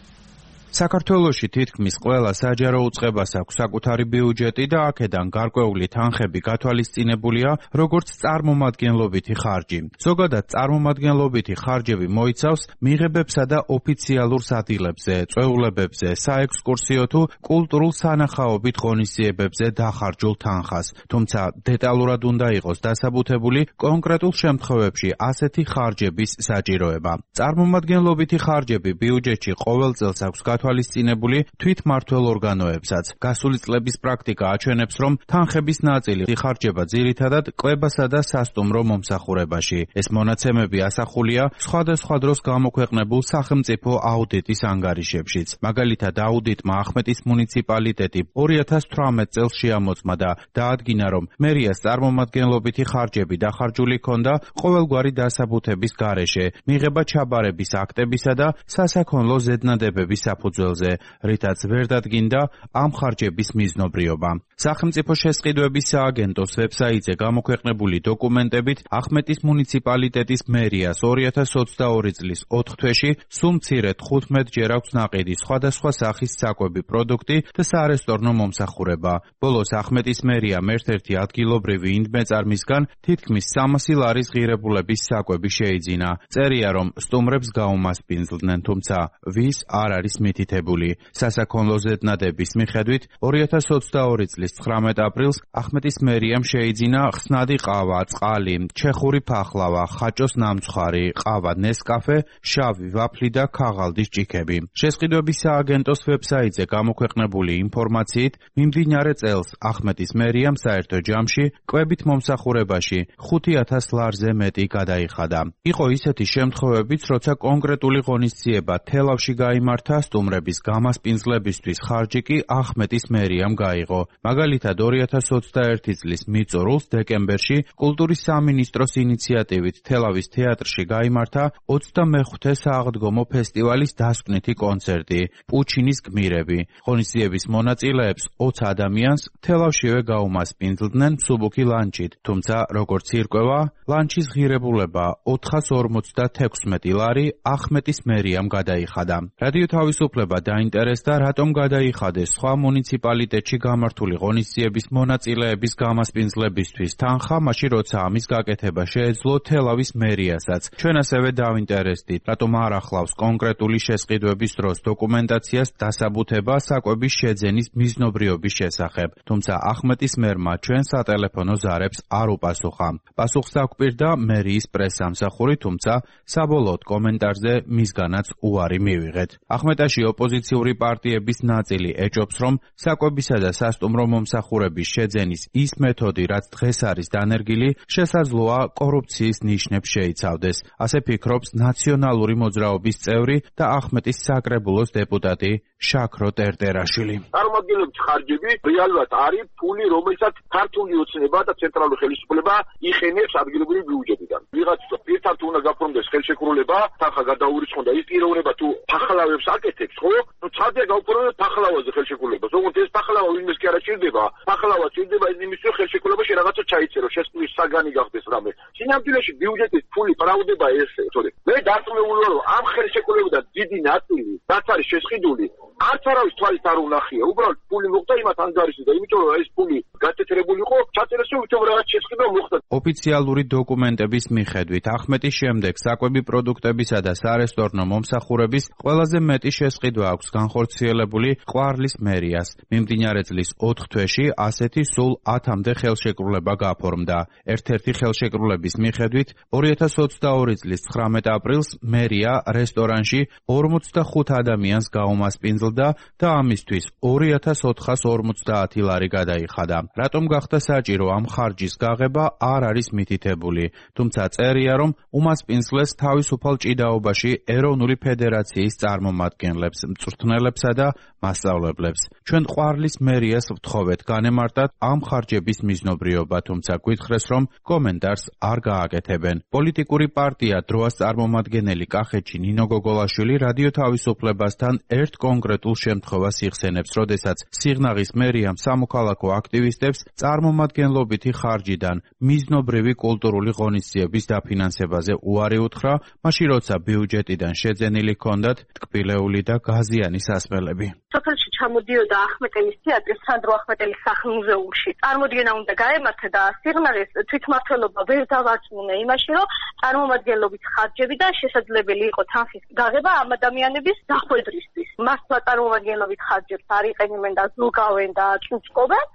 საქართველოში თითქმის ყველა საჯარო უწყებას აქვს საკუთარი ბიუჯეტი და აქედან გარკვეული თანხები გათვალისწინებულია როგორც წარმომადგენლობითი ხარჯი. ზოგადად წარმომადგენლობითი ხარჯები მოიცავს მიღებებსა და ოფიციალურ სადილებზე, წვეულებებზე, საექსკურსიო თუ კულტურულ სანახაობით ღონისძიებებზე დახარჯულ თანხას. თუმცა დეტალურად უნდა იყოს დასაბუთებული კონკრეტულ შემთხვევებში ასეთი ხარჯების საჭიროება. წარმომადგენლობითი ხარჯები ბიუჯეტში ყოველ წელს აქვს გათვალისწინებული თვითმმართველ ორგანოებსაც. გასული წლების პრაქტიკა აჩვენებს, რომ თანხების ნაწილი იხარჯება ძირითადად კლებასა და სასტუმრო მომსახურებაში. ეს მონაცემები ასახულია სხვადასხვა დროს გამოქვეყნებულ სახელმწიფო აუდიტის ანგარიშებშიც. მაგალითად, აუდიტმა ახმეტის მუნიციპალიტეტი 2018 წელს შეამოწმა და დაადგინა, რომ მერიას წარმომადგენლობითი ხარჯები დახარჯული ჰქონდა ყოველგვარი დასაბუთების გარეშე, მიღება ჩაბარების აქტებისა და სასაქონლო ზედნადებების საფუძველზე, რითაც ვერ დადგინდა ამ ხარჯების მიზნობრიობა. სახელმწიფო შესყიდვების სააგენტოს ვებსაიტზე გამოქვეყნებული დოკუმენტებით ახმეტის მუნიციპალიტეტის მერიას 2022 წლის 4 თვეში სულ მცირედ 15 ჯერ აქვს ნაყიდი სხვადასხვა სახის საკვები პროდუქტი და სარესტორნო მომსახურება. ბოლოს ახმეტის მერიამ ერთ-ერთი ადგილობრივი ინდმეწარმისგან თითქმის 300 ლარის ღირებულების საკვები შეიძინა. წერია, რომ სტუმრებს გაუმასპინძლდნენ, თუმცა ვის არ არის მითითებული. სასაქონლო ზედნადების მიხედვით 2022 წლის 19 აპრილს ახმეტის მერიამ შეიძინა ხსნადი ყავა, წყალი, ჩეხური ფახლავა, ხაჭოს ნამცხვარი, ყავა ნესკაფე, შავი ვაფლი და ქაღალდის ჭიქები. შესყიდვების სააგენტოს ვებსაიტზე გამოქვეყნებული ინფორმაციით, მიმდინარე წელს ახმეტის მერიამ საერთო ჯამში კვებით მომსახურებაში 5000 ლარზე მეტი გადაიხადა. იყო ისეთი შემთხვევებიც, როცა კონკრეტული ღონისძიება თელავში გაიმართა, სტუმრების გამასპინძლებისთვის ხარჯი კი ახმეტის მერიამ გაიღო. მაგალითად, 2021 წლის მიწურულს დეკემბერში კულტურის სამინისტროს ინიციატივით თელავის თეატრში გაიმართა 25-ე სააღდგომო ფესტივალის დასკვნითი კონცერტი პუჩინის გმირები. ღონისძიების მონაწილეებს 20 ადამიანს თელავშივე გაუმასპინძლდნენ მსუბუქი ლანჩით, თუმცა როგორც ირკვევა, ლანჩის ღირებულება 456 ლარი ახმეტის მერიამ გადაიხადა. რადიო თავისუფლება დაინტერესდა, რატომ გადაიხადეს სხვა მუნიციპალიტეტში გამართული ღონისძიების მონაწილეების გამასპინძლებისთვის თანხა, მაშინ როცა ამის გაკეთება შეეძლო თელავის მერიასაც. ჩვენ ასევე დავინტერესდით, რატომ არ ახლავს კონკრეტული შესყიდვების დროს დოკუმენტაციას დასაბუთება საკვების შეძენის მიზნობრიობის შესახებ, თუმცა ახმეტის მერმა ჩვენ სატელეფონო ზარებს არ უპასუხა. პასუხს დაგვპირდა მერიის პრესსამსახური, თუმცა საბოლოოდ კომენტარზე მისგანაც უარი მივიღეთ. ახმეტაში ოპოზიციური პარტიების ნაწილი ეჭობს, რომ საკვებისა და სასტუმრო მომსახურების შეძენის ის მეთოდი, რაც დღეს არის დანერგილი, შესაძლოა კორუფციის ნიშნებს შეიცავდეს. ასე ფიქრობს ნაციონალური მოძრაობის წევრი და ახმეტის საკრებულოს დეპუტატი შაქრო ტერტერაშვილი. წარმომადგენლობის ხარჯები რეალურად არის ფული, რომელსაც ქართული ოცნება და ცენტრალური ხელისუფლება იხენებს ადგილობრივი ბიუჯეტიდან. ვიღაცა პირდაპირ უნდა გაფორმდეს ხელშეკრულება, თანხა გადაურიცხონ და ის პიროვნება თუ ფახლავებს აკეთებს, ხო? ნუ ცადია გავფორმდეს ფახლავაზე ხელშეკრულებას. ოღონდ ეს ფახლავა ვინმეს კი არ ჭირდება. ფახლავა ჭირდება იმისთვის ხელშეკრულებაში რაღაცა ჩაიწერო, შესკვნის საგანი გახდეს რამე. სინამდვილეში ბიუჯეტის ფული ბრალდება ესე, თორე მე დარწმუნებული ვარ, რომ ამ ხელშეკრულებიდან დიდი ნაწილი, რაც არის შესყიდული, არც არავის თვალით არ უნახია. უბრალოდ ფული მოხდა იმათ ანგარიშზე და იმიტომ რომ ეს ფული გაწეთრებული იყო, ჩაწერეს რომ თუმცა რაღაც შესყიდვა მოხდა. ოფიციალური დოკუმენტების მიხედვით ახმეტის შემდეგ საკვები პროდუქტებისა და სარესტორნო მომსახურების ყველაზე მეტი შესყიდვა გაყიდვა აქვს განხორციელებული ყვარლის მერიას. მიმდინარე წლის 4 თვეში ასეთი სულ 10-მდე ხელშეკრულება გაფორმდა. ერთ-ერთი ხელშეკრულების მიხედვით 2022 წლის 19 აპრილს მერია რესტორანში 45 ადამიანს გაუმასპინძლდა და ამისთვის 2450 ლარი გადაიხადა. რატომ გახდა საჭირო ამ ხარჯის გაღება არ არის მითითებული, თუმცა წერია, რომ უმასპინძლეს თავისუფალ ჭიდაობაში ეროვნული ფედერაციის წარმომადგენლებს, მწვრთნელებსა და მასწავლებლებს. ჩვენ ყვარლის მერიას ვთხოვეთ განემარტათ ამ ხარჯების მიზნობრიობა, თუმცა გვითხრეს, რომ კომენტარს არ გააკეთებენ. პოლიტიკური პარტია დროას წარმომადგენელი კახეთში ნინო გოგოლაშვილი რადიო თავისუფლებასთან ერთ კონკრეტულ შემთხვევას იხსენებს, როდესაც სიღნაღის მერიამ სამოქალაქო აქტივისტებს წარმომადგენლობითი ხარჯიდან მიზნობრივი კულტურული ღონისძიების დაფინანსებაზე უარი უთხრა, მაშინ როცა ბიუჯეტიდან შეძენილი ჰქონდათ ტკბილეული და გაზიანი სასმელები. სოფელში ჩამოდიოდა ახმეტელის თეატრი სანდრო ახმეტელის სახლ-მუზეუმში. წარმოდგენა უნდა გაემართა და სიღნაღის თვითმმართველობა ვერ დავარწმუნა იმაში, რომ წარმომადგენლობით ხარჯები და შესაძლებელი იყო თანხის გაღება ამ ადამიანების დახვედრისთვის. მართლა წარმომადგენლობით ხარჯებს არ იყენებენ და ზოგავენ და წუწკობენ,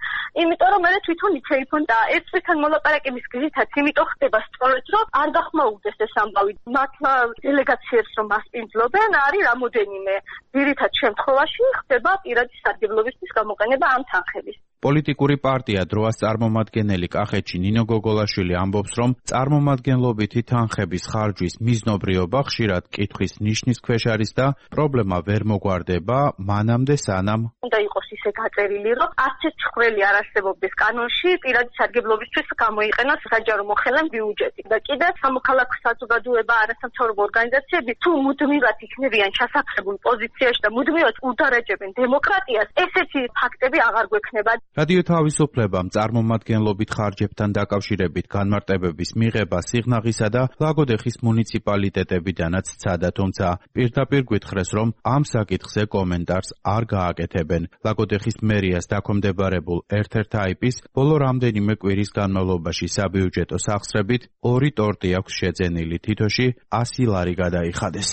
იმიტომ რომ მე თვითონ იცეიფონ და ერთ წუთთან მოლაპარაკების გზითაც იმიტომ ხდება სწორედ, რომ არ გახმაურდეს ეს ამბავი. მართლა დელეგაციებს რომ მასპინძლობენ, არის რამოდენიმე ძირითად შემთხვევაში ხდება პირადი სარგებლობისთვის გამოყენება ამ თანხების. პოლიტიკური პარტია დროას წარმომადგენელი კახეთში ნინო გოგოლაშვილი ამბობს, რომ წარმომადგენლობითი თანხების ხარჯვის მიზნობრიობა ხშირად კითხვის ნიშნის ქვეშ არის და პრობლემა ვერ მოგვარდება მანამდე სანამ უნდა იყოს ისე გაწერილი, რომ არც ერთ ცხრილი არ არსებობდეს კანონში პირადი სარგებლობისთვის გამოიყენოს საჯარო მოხელე ბიუჯეტი. და კიდევ სამოქალაქო საზოგადოება, არასამთავრობო ორგანიზაციები თუ მუდმივად იქნებიან ჩასაფრებულ პოზიციაში და მუდმივად უდარაჯებენ დემოკრატიას, ესეთი ფაქტები აღარ გვექნება. რადიო თავისუფლებამ წარმომადგენლობით ხარჯებთან დაკავშირებით განმარტებების მიღება სიღნაღისა და ლაგოდეხის მუნიციპალიტეტებიდანაც სცადა, თუმცა პირდაპირ გვითხრეს, რომ ამ საკითხზე კომენტარს არ გააკეთებენ. ლაგოდეხის მერიას დაქვემდებარებულ ერთ-ერთ აიპის ბოლო რამდენიმე კვირის განმავლობაში საბიუჯეტო სახსრებით 2 ტორტი აქვს შეძენილი, თითოში 100 ლარი გადაიხადეს.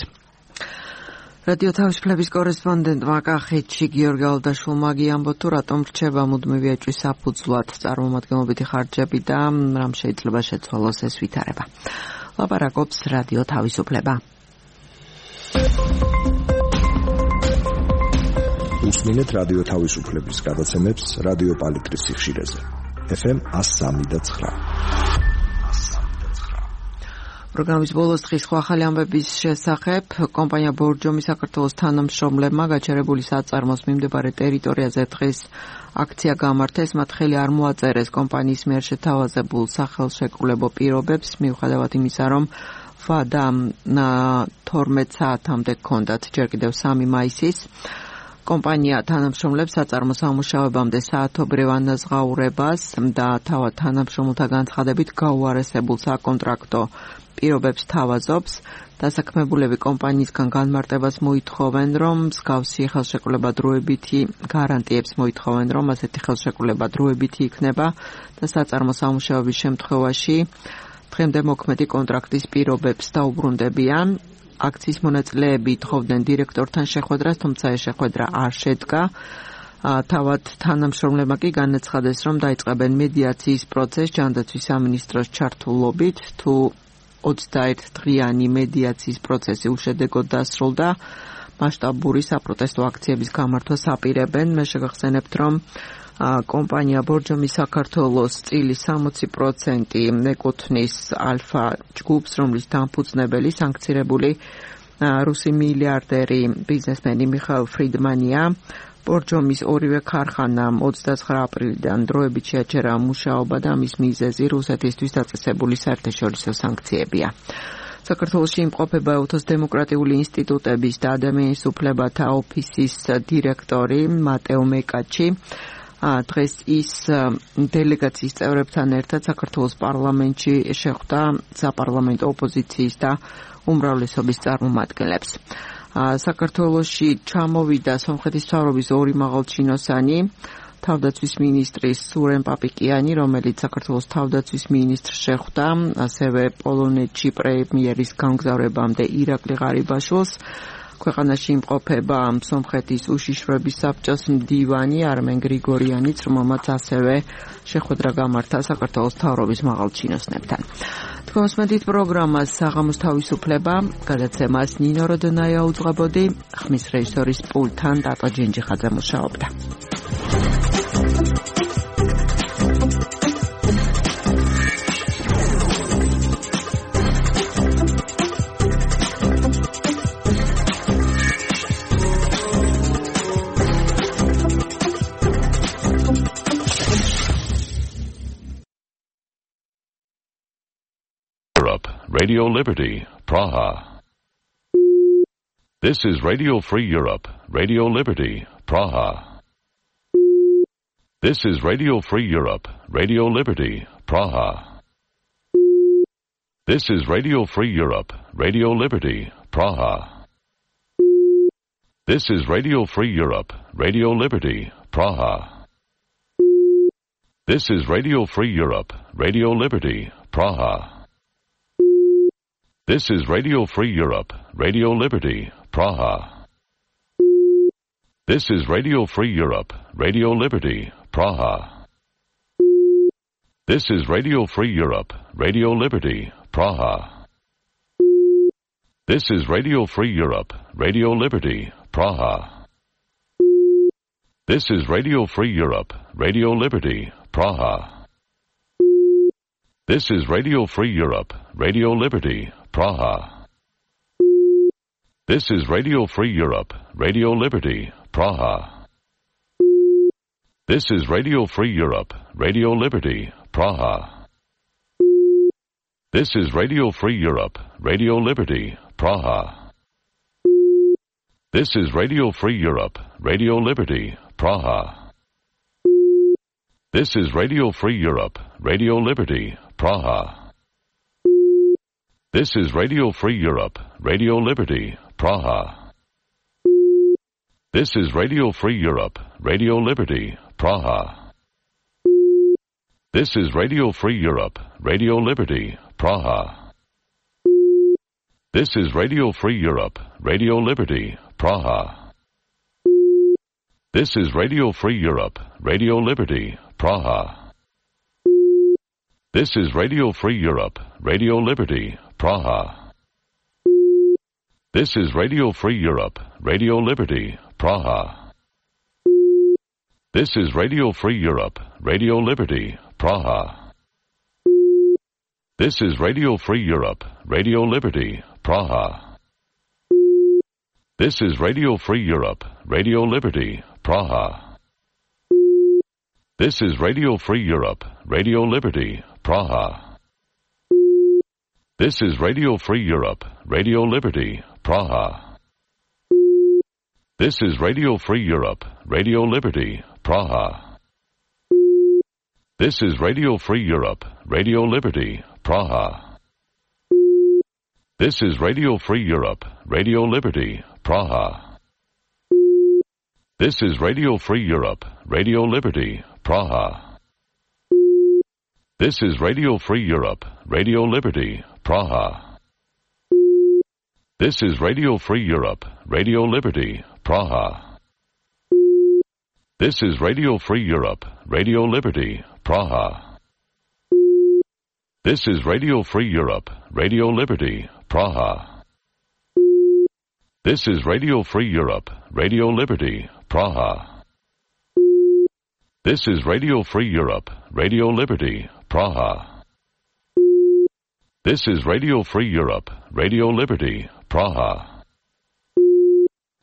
რადიო თავისუფლების კორესპონდენტმა კახეთში გიორგი ალდაშვილმა ამბო თუ რატომ რჩება მუდმივი ეჭვის საფუძვლად წარმომადგენლობითი ხარჯები და რამ შეიძლება შეცვალოს ეს ვითარება. ლაპარაკობს რადიო თავისუფლება. უსმინეთ რადიო თავისუფლების გადაცემებს რადიო პალიტრის სიხშირეზე. FM 103.9. პროგრამის ბოლოს დღის ახალი ამბების შესახებ კომპანია ბორჯომი საქართველოს თანამშრომლებმა გაჩერებული საწარმოს მიმდებარე ტერიტორიაზე დღეს აქცია გამართეს. მათ ხელი არ მოაწერეს კომპანიის მიერ შეთავაზებულ სახელშეკრულებო პირობებს, მიუხედავად იმისა, რომ ვადა 12 საათამდე ჰქონდათ ჯერ კიდევ 3 მაისის. კომპანია თანამშრომლებს საწარმოს ამუშავებამდე საათობრივ ანაზღაურებას და თავად თანამშრომელთა განცხადებით გაუარესებულ საკონტრაქტო პირობებს თავაზობს. დასაქმებულები კომპანიისგან განმარტებას მოითხოვენ, რომ მსგავსი ხელშეკრულება დროებითი გარანტიებს მოითხოვენ, რომ ასეთი ხელშეკრულება დროებითი იქნება და საწარმოს ამუშავების შემთხვევაში დღემდე მოქმედი კონტრაქტის პირობებს დაუბრუნდებიან. აქციის მონაწილეები თხოვდნენ დირექტორთან შეხვედრას, თუმცა ეს შეხვედრა არ შედგა. თავად თანამშრომლებმა კი განაცხადეს, რომ დაიწყებენ მედიაციის პროცესს ჯანდაცვის სამინისტროს ჩართულობით. თუ 21 დღიანი მედიაციის პროცესი უშედეგოდ დასრულდა, მასშტაბური საპროტესტო აქციების გამართვას აპირებენ. მე შეგახსენებთ, რომ კომპანია ბორჯომი საქართველოს წილის 60% ეკუთვნის ალფა ჯგუფს, რომლის დამფუძნებელი სანქცირებული რუსი მილიარდერი ბიზნესმენი მიხაილ ფრიდმანია. ბორჯომის ორივე ქარხანამ 29 აპრილიდან დროებით შეაჩერა მუშაობა და მის მიზეზი რუსეთისთვის დაწესებული საერთაშორისო სანქციებია. საქართველოში იმყოფება ეუთოს დემოკრატიული ინსტიტუტების და ადამიანის უფლებათა ოფისის დირექტორი მატეო მეკაჩი. დღეს ის დელეგაციის წევრებთან ერთად საქართველოს პარლამენტში შეხვდა საპარლამენტო ოპოზიციის და უმრავლესობის წარმომადგენლებს. საქართველოში ჩამოვიდა სომხეთის მთავრობის 2 მაღალჩინოსანი, თავდაცვის მინისტრი სურენ პაპიკიანი, რომელიც საქართველოს თავდაცვის მინისტრს შეხვდა, ასევე პოლონეთში პრემიერის გამგზავრებამდე ირაკლი ღარიბაშვილს. ქვეყანაში იმყოფება სომხეთის უშიშროების საბჭოს მდივანი არმენ გრიგორიანიც, რომელმაც ასევე შეხვედრა გამართა საქართველოს მთავრობის მაღალ ჩინოსნებთან. თქვენს მედით პროგრამას საღამოს თავისუფლება, გადაცემას ნინო როდონაია უძღვებოდი, ხმის რეჟისორის პულტთან დატა ჯენჯიხაძე მუშაობდა. Radio Liberty, Praha. This is Radio Free Europe, Radio Liberty, Praha. This is Radio Free Europe, Radio Liberty, Praha. This is Radio Free Europe, Radio Liberty, Praha. This is Radio Free Europe, Radio Liberty, Praha. This is Radio Free Europe, Radio Liberty, Praha. This is Radio Free Europe, Radio Liberty, Praha. This is Radio Free Europe, Radio Liberty, Praha. This is Radio Free Europe, Radio Liberty, Praha. This is Radio Free Europe, Radio Liberty, Praha. This is Radio Free Europe, Radio Liberty, Praha. This is Radio Free Europe, Radio Liberty, Praha. This is Radio Free Europe, Radio Liberty, Praha. This is Radio Free Europe, Radio Liberty, Praha. This is Radio Free Europe, Radio Liberty, Praha. This is Radio Free Europe, Radio Liberty, Praha. This is Radio Free Europe, Radio Liberty, Praha. This is Radio Free Europe, Radio Liberty, Praha. This is Radio Free Europe, Radio Liberty, Praha. This is Radio Free Europe, Radio Liberty, Praha. This is Radio Free Europe, Radio Liberty, Praha. This is Radio Free Europe, Radio Liberty, Praha. This is Radio Free Europe, Radio Liberty, Praha. This is Radio Free Europe, Radio Liberty, Praha. This is Radio Free Europe, Radio Liberty, Praha. This is Radio Free Europe, Radio Liberty, Praha. This is Radio Free Europe, Radio Liberty, Praha. This is Radio Free Europe, Radio Liberty, Praha. This is Radio Free Europe, Radio Liberty, Praha. This is Radio Free Europe, Radio Liberty, Praha. This is Radio Free Europe, Radio Liberty, Praha. This is Radio Free Europe, Radio Liberty, Praha. This is Radio Free Europe, Radio Liberty, Praha. This is Radio Free Europe, Radio Liberty, Praha. This is Radio Free Europe, Radio Liberty, Praha. This is Radio Free Europe, Radio Liberty, Praha. This is Radio Free Europe, Radio Liberty, Praha. This is Radio Free Europe, Radio Liberty, Praha. This is Radio Free Europe, Radio Liberty, Praha. This is Radio Free Europe, Radio Liberty, Praha.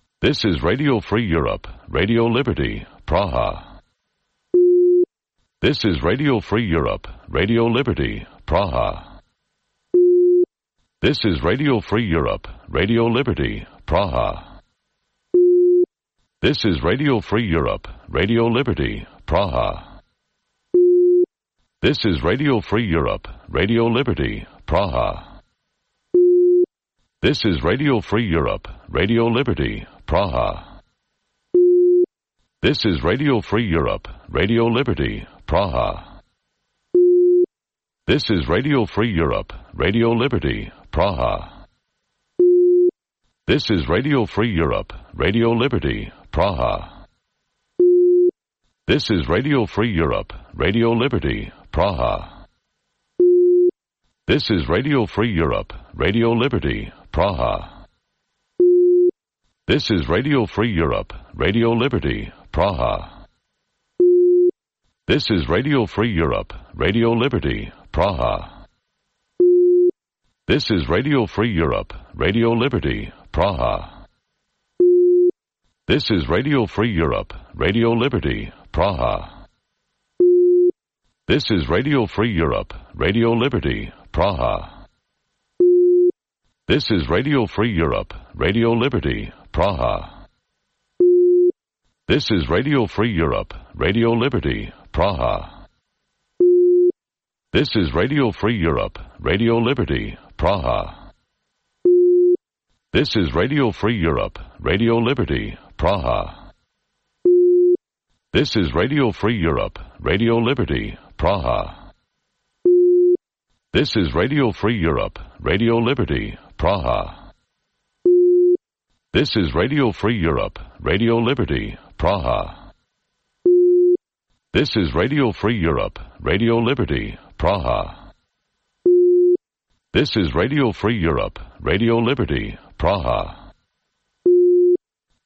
This is Radio Free Europe, Radio Liberty, Praha. This is Radio Free Europe, Radio Liberty, Praha. This is Radio Free Europe, Radio Liberty, Praha. This is Radio Free Europe, Radio Liberty, Praha. This is Radio Free Europe, Radio Liberty, Praha. This is Radio Free Europe, Radio Liberty, Praha. This is Radio Free Europe, Radio Liberty, Praha. This is Radio Free Europe, Radio Liberty, Praha. This is Radio Free Europe, Radio Liberty, Praha. This is Radio Free Europe, Radio Liberty, Praha. This is Radio Free Europe, Radio Liberty, Praha. This is Radio Free Europe, Radio Liberty, Praha. This is Radio Free Europe, Radio Liberty, Praha. This is Radio Free Europe, Radio Liberty, Praha. This is Radio Free Europe, Radio Liberty, Praha. This is Radio Free Europe, Radio Liberty, Praha. This is Radio Free Europe, Radio Liberty, Praha. This is Radio Free Europe, Radio Liberty, Praha. This is Radio Free Europe, Radio Liberty, Praha. This is Radio Free Europe, Radio Liberty, Praha. This is Radio Free Europe, Radio Liberty, Praha. This is Radio Free Europe, Radio Liberty, Praha. This is Radio Free Europe, Radio Liberty, Praha. This is Radio Free Europe, Radio Liberty, Praha. This is Radio Free Europe, Radio Liberty, Praha.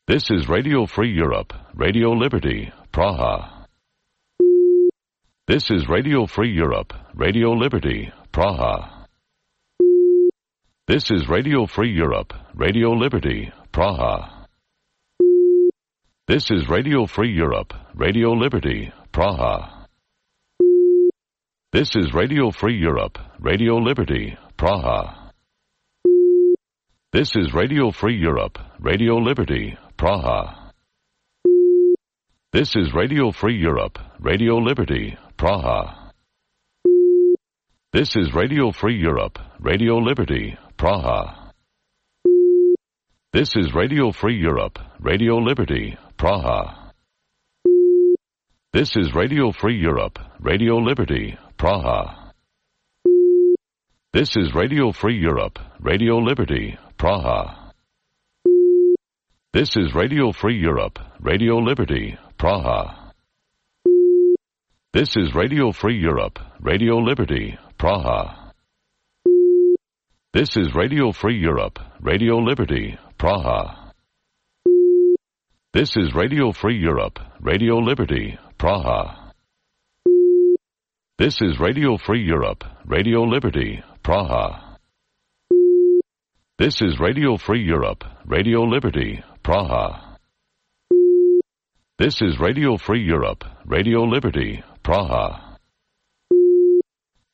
This is Radio Free Europe, Radio Liberty, Praha. This is Radio Free Europe, Radio Liberty, Praha. This is Radio Free Europe, Radio Liberty, Praha. This is Radio Free Europe, Radio Liberty, Praha. This is Radio Free Europe, Radio Liberty, Praha. This is Radio Free Europe, Radio Liberty, Praha. This is Radio Free Europe, Radio Liberty, Praha. This is Radio Free Europe, Radio Liberty, Praha. This is Radio Free Europe, Radio Liberty, Praha. This is Radio Free Europe, Radio Liberty, Praha. This is Radio Free Europe, Radio Liberty, Praha. This is Radio Free Europe, Radio Liberty, Praha. This is Radio Free Europe, Radio Liberty, Praha. This is Radio Free Europe, Radio Liberty, Praha. This is Radio Free Europe, Radio Liberty, Praha. This is Radio Free Europe, Radio Liberty, Praha. This is Radio Free Europe, Radio Liberty, Praha. This is Radio Free Europe, Radio Liberty, Praha.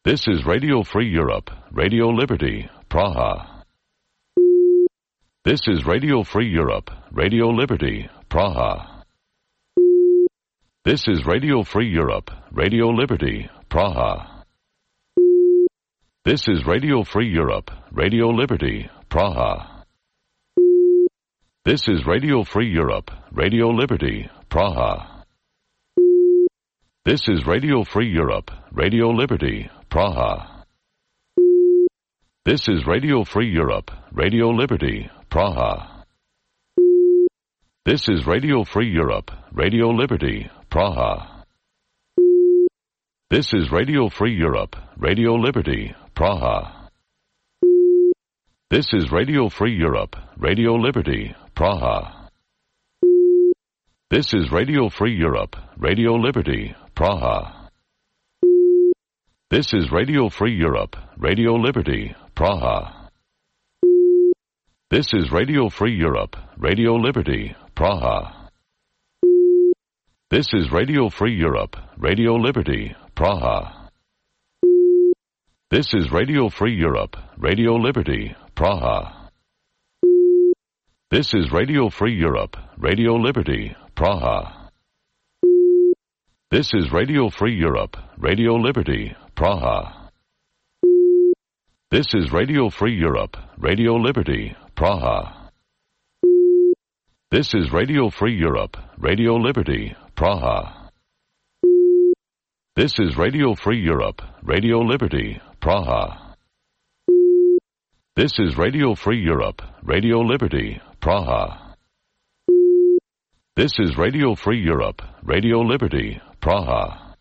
This is Radio Free Europe, Radio Liberty, Praha. This is Radio Free Europe, Radio Liberty, Praha. This is Radio Free Europe, Radio Liberty, Praha. This is Radio Free Europe, Radio Liberty, Praha. This is Radio Free Europe, Radio Liberty, Praha. This is Radio Free Europe, Radio Liberty, Praha. This is Radio Free Europe, Radio Liberty, Praha. This is Radio Free Europe, Radio Liberty, Praha. This is Radio Free Europe, Radio Liberty, Praha. This is Radio Free Europe, Radio Liberty, Praha. This is Radio Free Europe, Radio Liberty, Praha. This is Radio Free Europe, Radio Liberty, Praha. This is Radio Free Europe, Radio Liberty, Praha. This is Radio Free Europe, Radio Liberty, Praha. This is Radio Free Europe, Radio Liberty, Praha. This is Radio Free Europe, Radio Liberty, Praha. This is Radio Free Europe, Radio Liberty, Praha. This is Radio Free Europe, Radio Liberty, Praha. This is Radio Free Europe, Radio Liberty, Praha. This is Radio Free Europe, Radio Liberty, Praha. This is Radio Free Europe, Radio Liberty, Praha. This is Radio Free Europe, Radio Liberty, Praha.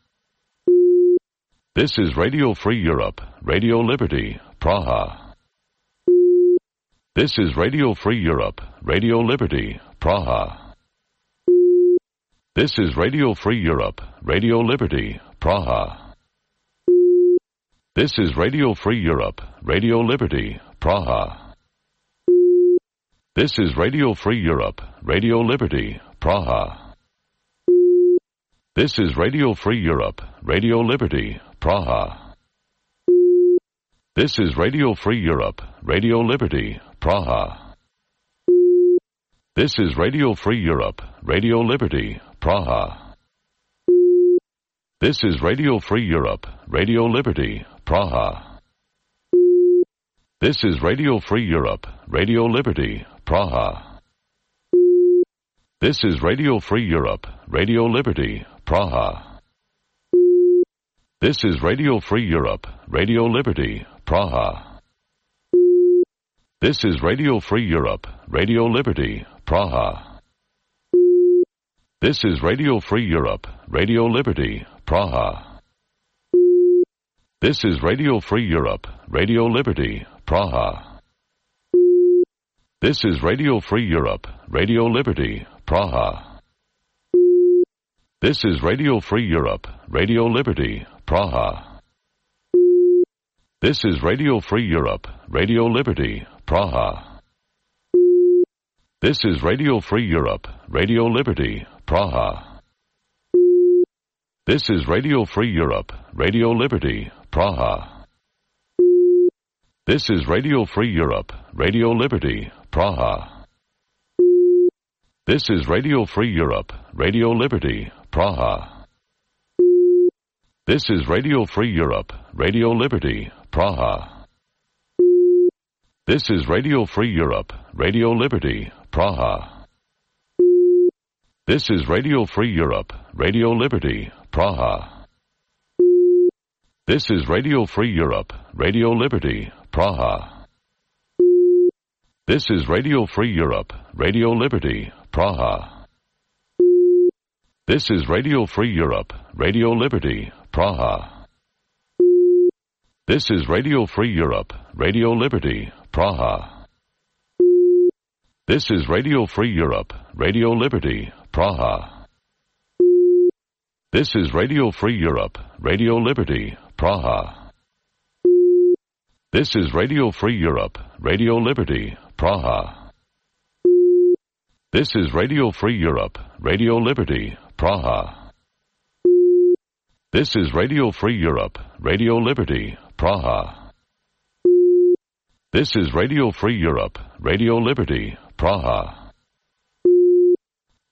This is Radio Free Europe, Radio Liberty, Praha. This is Radio Free Europe, Radio Liberty, Praha. This is Radio Free Europe, Radio Liberty, Praha. This is Radio Free Europe, Radio Liberty, Praha. This is Radio Free Europe, Radio Liberty, Praha. This is Radio Free Europe, Radio Liberty, Praha. This is Radio Free Europe, Radio Liberty, Praha. This is Radio Free Europe, Radio Liberty, Praha. This is Radio Free Europe, Radio Liberty, Praha. This is Radio Free Europe, Radio Liberty, Praha. This is Radio Free Europe, Radio Liberty, Praha. This is Radio Free Europe, Radio Liberty, Praha. This is Radio Free Europe, Radio Liberty, Praha. This is Radio Free Europe, Radio Liberty, Praha. This is Radio Free Europe, Radio Liberty, Praha. This is Radio Free Europe, Radio Liberty, Praha. This is Radio Free Europe, Radio Liberty, Praha. This is Radio Free Europe, Radio Liberty, Praha. This is Radio Free Europe, Radio Liberty, Praha. This is Radio Free Europe, Radio Liberty, Praha. This is Radio Free Europe, Radio Liberty, Praha. This is Radio Free Europe, Radio Liberty, Praha. This is Radio Free Europe, Radio Liberty, Praha. This is Radio Free Europe, Radio Liberty, Praha. This is Radio Free Europe, Radio Liberty, Praha. This is Radio Free Europe, Radio Liberty, Praha. This is Radio Free Europe, Radio Liberty, Praha. This is Radio Free Europe, Radio Liberty, Praha. This is Radio Free Europe, Radio Liberty, Praha. This is Radio Free Europe, Radio Liberty, Praha. This is Radio Free Europe, Radio Liberty, Praha. This is Radio Free Europe, Radio Liberty, Praha. This is Radio Free Europe, Radio Liberty, Praha. This is Radio Free Europe, Radio Liberty, Praha. This is Radio Free Europe, Radio Liberty, Praha.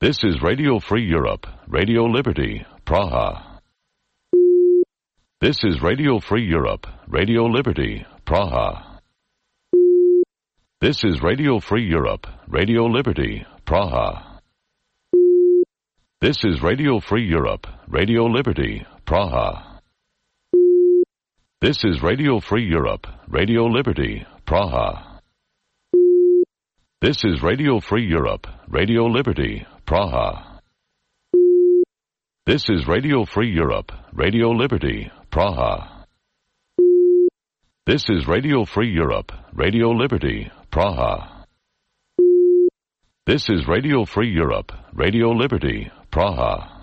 This is Radio Free Europe, Radio Liberty, Praha. This is Radio Free Europe, Radio Liberty, Praha. This is Radio Free Europe, Radio Liberty, Praha. This is Radio Free Europe, Radio Liberty, Praha. This is Radio Free Europe, Radio Liberty, Praha. This is Radio Free Europe, Radio Liberty, Praha. This is Radio Free Europe, Radio Liberty, Praha. This is Radio Free Europe, Radio Liberty, Praha. This is Radio Free Europe, Radio Liberty, Praha.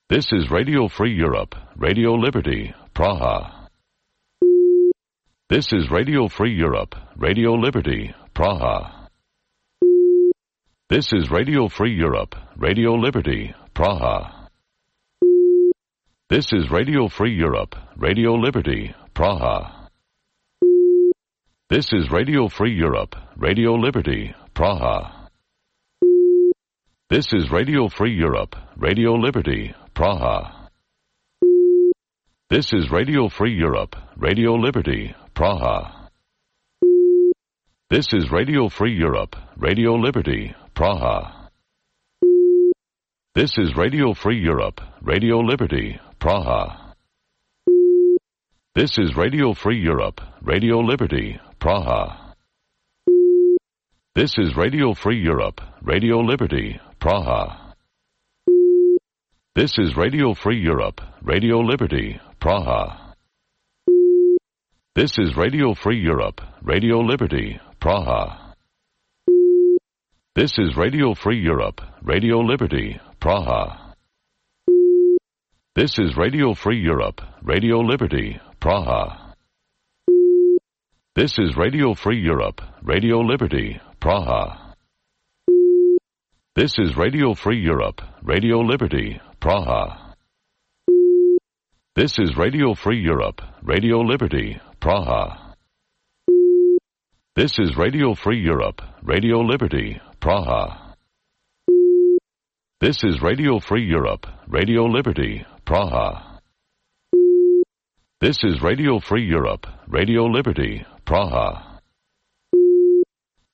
This is Radio Free Europe, Radio Liberty, Praha. This is Radio Free Europe, Radio Liberty, Praha. This is Radio Free Europe, Radio Liberty, Praha. This is Radio Free Europe, Radio Liberty, Praha. This is Radio Free Europe, Radio Liberty, Praha. This is Radio Free Europe, Radio Liberty, Praha. This is Radio Free Europe, Radio Liberty, Praha. This is Radio Free Europe, Radio Liberty, Praha. This is Radio Free Europe, Radio Liberty, Praha. This is Radio Free Europe, Radio Liberty, Praha. This is Radio Free Europe, Radio Liberty, Praha. This is Radio Free Europe, Radio Liberty, Praha. This is Radio Free Europe, Radio Liberty, Praha. This is Radio Free Europe, Radio Liberty, Praha. This is Radio Free Europe, Radio Liberty, Praha. This is Radio Free Europe, Radio Liberty, Praha. This is Radio Free Europe, Radio Liberty, Praha. This is Radio Free Europe, Radio Liberty, Praha. This is Radio Free Europe, Radio Liberty, Praha. This is Radio Free Europe, Radio Liberty, Praha. This is Radio Free Europe, Radio Liberty, Praha.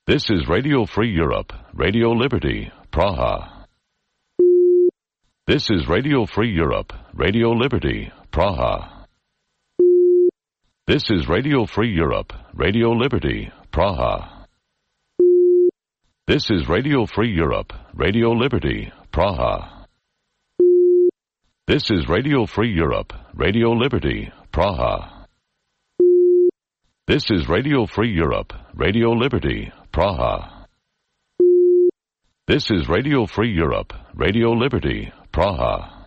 This is Radio Free Europe, Radio Liberty, Praha. This is Radio Free Europe, Radio Liberty, Praha. This is Radio Free Europe, Radio Liberty, Praha. This is Radio Free Europe, Radio Liberty, Praha. This is Radio Free Europe, Radio Liberty, Praha. This is Radio Free Europe, Radio Liberty, Praha. This is Radio Free Europe, Radio Liberty, Praha.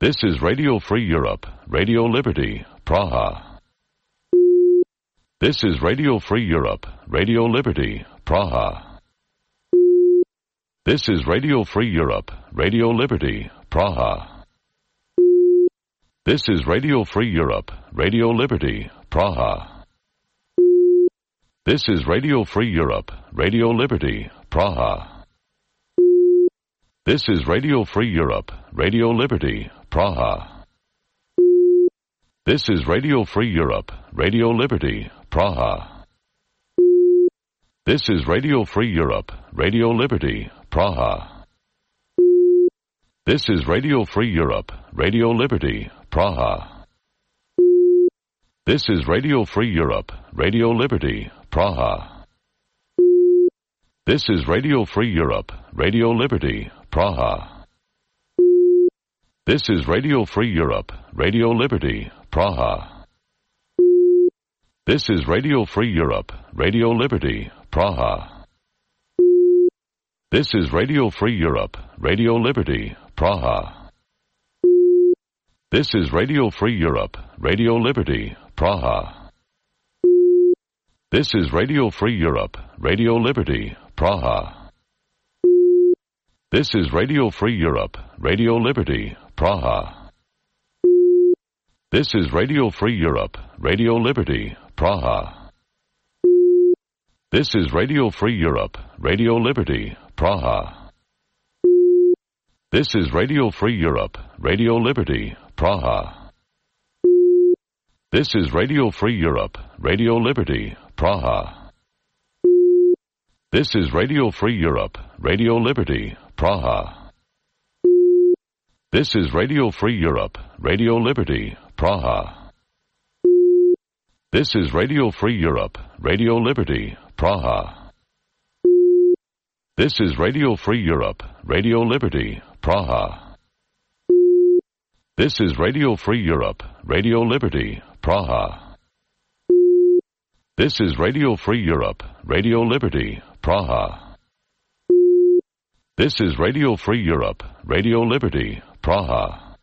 This is Radio Free Europe, Radio Liberty, Praha. This is Radio Free Europe, Radio Liberty, Praha. This is Radio Free Europe, Radio Liberty, Praha. This is Radio Free Europe, Radio Liberty, Praha. This is Radio Free Europe, Radio Liberty, Praha. This is Radio Free Europe, Radio Liberty, Praha. This is Radio Free Europe, Radio Liberty, Praha. This is Radio Free Europe, Radio Liberty, Praha. This is Radio Free Europe, Radio Liberty, Praha. This is Radio Free Europe, Radio Liberty, Praha. This is Radio Free Europe, Radio Liberty, Praha. This is Radio Free Europe, Radio Liberty, Praha. This is Radio Free Europe, Radio Liberty, Praha. This is Radio Free Europe, Radio Liberty, Praha. This is Radio Free Europe, Radio Liberty, Praha. This is Radio Free Europe, Radio Liberty, Praha. This is Radio Free Europe, Radio Liberty, Praha. This is Radio Free Europe, Radio Liberty, Praha. This is Radio Free Europe, Radio Liberty, Praha. This is Radio Free Europe, Radio Liberty, Praha. This is Radio Free Europe, Radio Liberty, Praha. This is Radio Free Europe, Radio Liberty, Praha. This is Radio Free Europe, Radio Liberty, Praha. This is Radio Free Europe, Radio Liberty, Praha. This is Radio Free Europe, Radio Liberty, Praha. This is Radio Free Europe, Radio Liberty, Praha. This is Radio Free Europe, Radio Liberty, Praha. This is Radio Free Europe, Radio Liberty, Praha.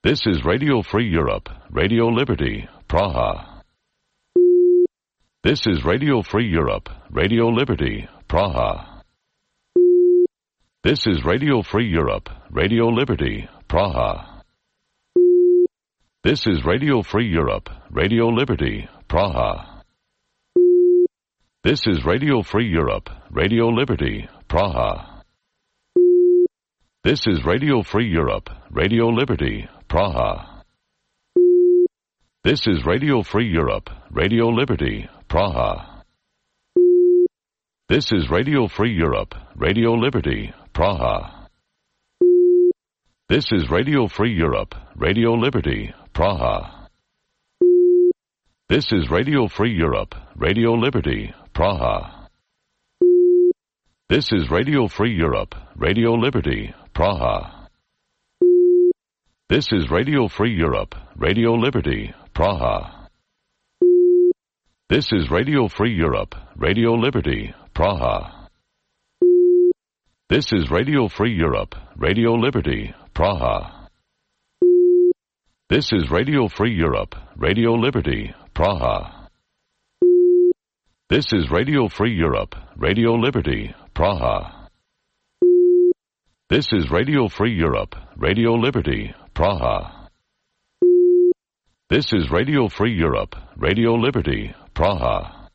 This is Radio Free Europe, Radio Liberty, Praha. This is Radio Free Europe, Radio Liberty, Praha. This is Radio Free Europe, Radio Liberty, Praha. This is Radio Free Europe, Radio Liberty, Praha. This is Radio Free Europe, Radio Liberty, Praha. This is Radio Free Europe, Radio Liberty, Praha. This is Radio Free Europe, Radio Liberty, Praha. This is Radio Free Europe, Radio Liberty, Praha. This is Radio Free Europe, Radio Liberty, Praha. This is Radio Free Europe, Radio Liberty, Praha. This is Radio Free Europe, Radio Liberty, Praha. This is Radio Free Europe, Radio Liberty, Praha. This is Radio Free Europe, Radio Liberty, Praha. This is Radio Free Europe, Radio Liberty, Praha. This is Radio Free Europe, Radio Liberty, Praha. This is Radio Free Europe, Radio Liberty, Praha. This is Radio Free Europe, Radio Liberty, Praha. This is Radio Free Europe, Radio Liberty, Praha.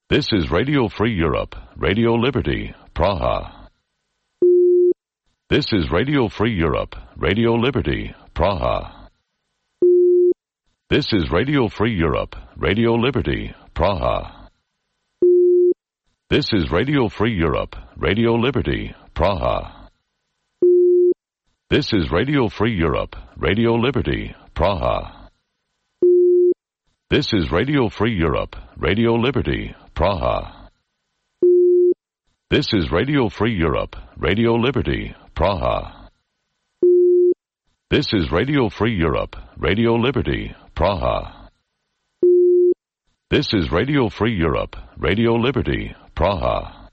This is Radio Free Europe, Radio Liberty, Praha. This is Radio Free Europe, Radio Liberty, Praha. This is Radio Free Europe, Radio Liberty, Praha. This is Radio Free Europe, Radio Liberty, Praha. This is Radio Free Europe, Radio Liberty, Praha. This is Radio Free Europe, Radio Liberty, Praha. This is Radio Free Europe, Radio Liberty, Praha. This is Radio Free Europe, Radio Liberty, Praha. This is Radio Free Europe, Radio Liberty, Praha.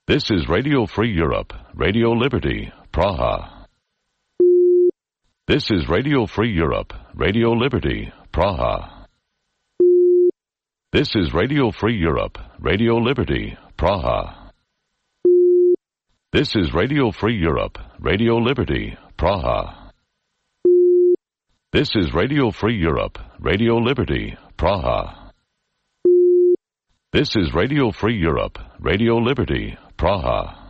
This is Radio Free Europe, Radio Liberty, Praha. This is Radio Free Europe, Radio Liberty, Praha. This is Radio Free Europe, Radio Liberty, Praha. This is Radio Free Europe, Radio Liberty, Praha. This is Radio Free Europe, Radio Liberty, Praha. This is Radio Free Europe, Radio Liberty, Praha.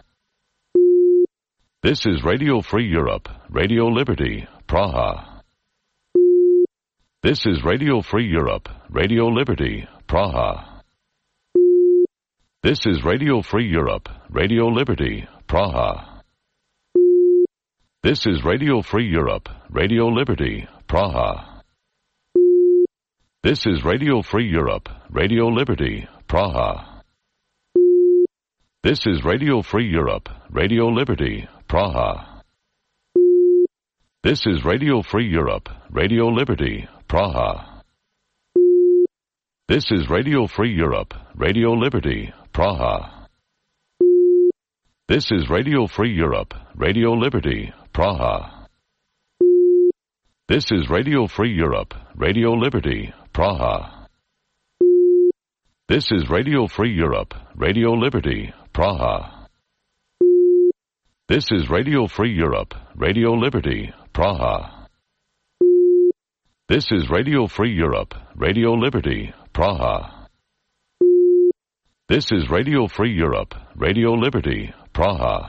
This is Radio Free Europe, Radio Liberty, Praha. This is Radio Free Europe, Radio Liberty, Praha. This is Radio Free Europe, Radio Liberty, Praha. This is Radio Free Europe, Radio Liberty, Praha. This is Radio Free Europe, Radio Liberty, Praha. This is Radio Free Europe, Radio Liberty, Praha. This is Radio Free Europe, Radio Liberty, Praha. This is Radio Free Europe, Radio Liberty, Praha. This is Radio Free Europe, Radio Liberty, Praha. This is Radio Free Europe, Radio Liberty, Praha. This is Radio Free Europe, Radio Liberty, Praha. This is Radio Free Europe, Radio Liberty, Praha. This is Radio Free Europe, Radio Liberty, Praha. This is Radio Free Europe, Radio Liberty, Praha.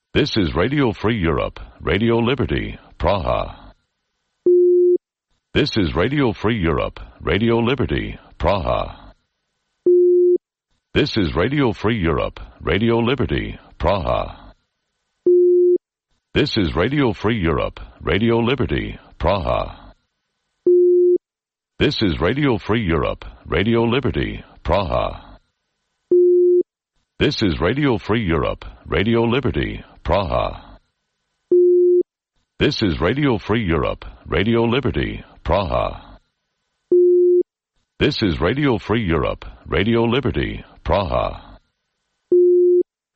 This is Radio Free Europe, Radio Liberty, Praha. This is Radio Free Europe, Radio Liberty, Praha. This is Radio Free Europe, Radio Liberty, Praha. This is Radio Free Europe, Radio Liberty, Praha. This is Radio Free Europe, Radio Liberty, Praha. This is Radio Free Europe, Radio Liberty, Praha. This is Radio Free Europe, Radio Liberty, Praha. This is Radio Free Europe, Radio Liberty, Praha.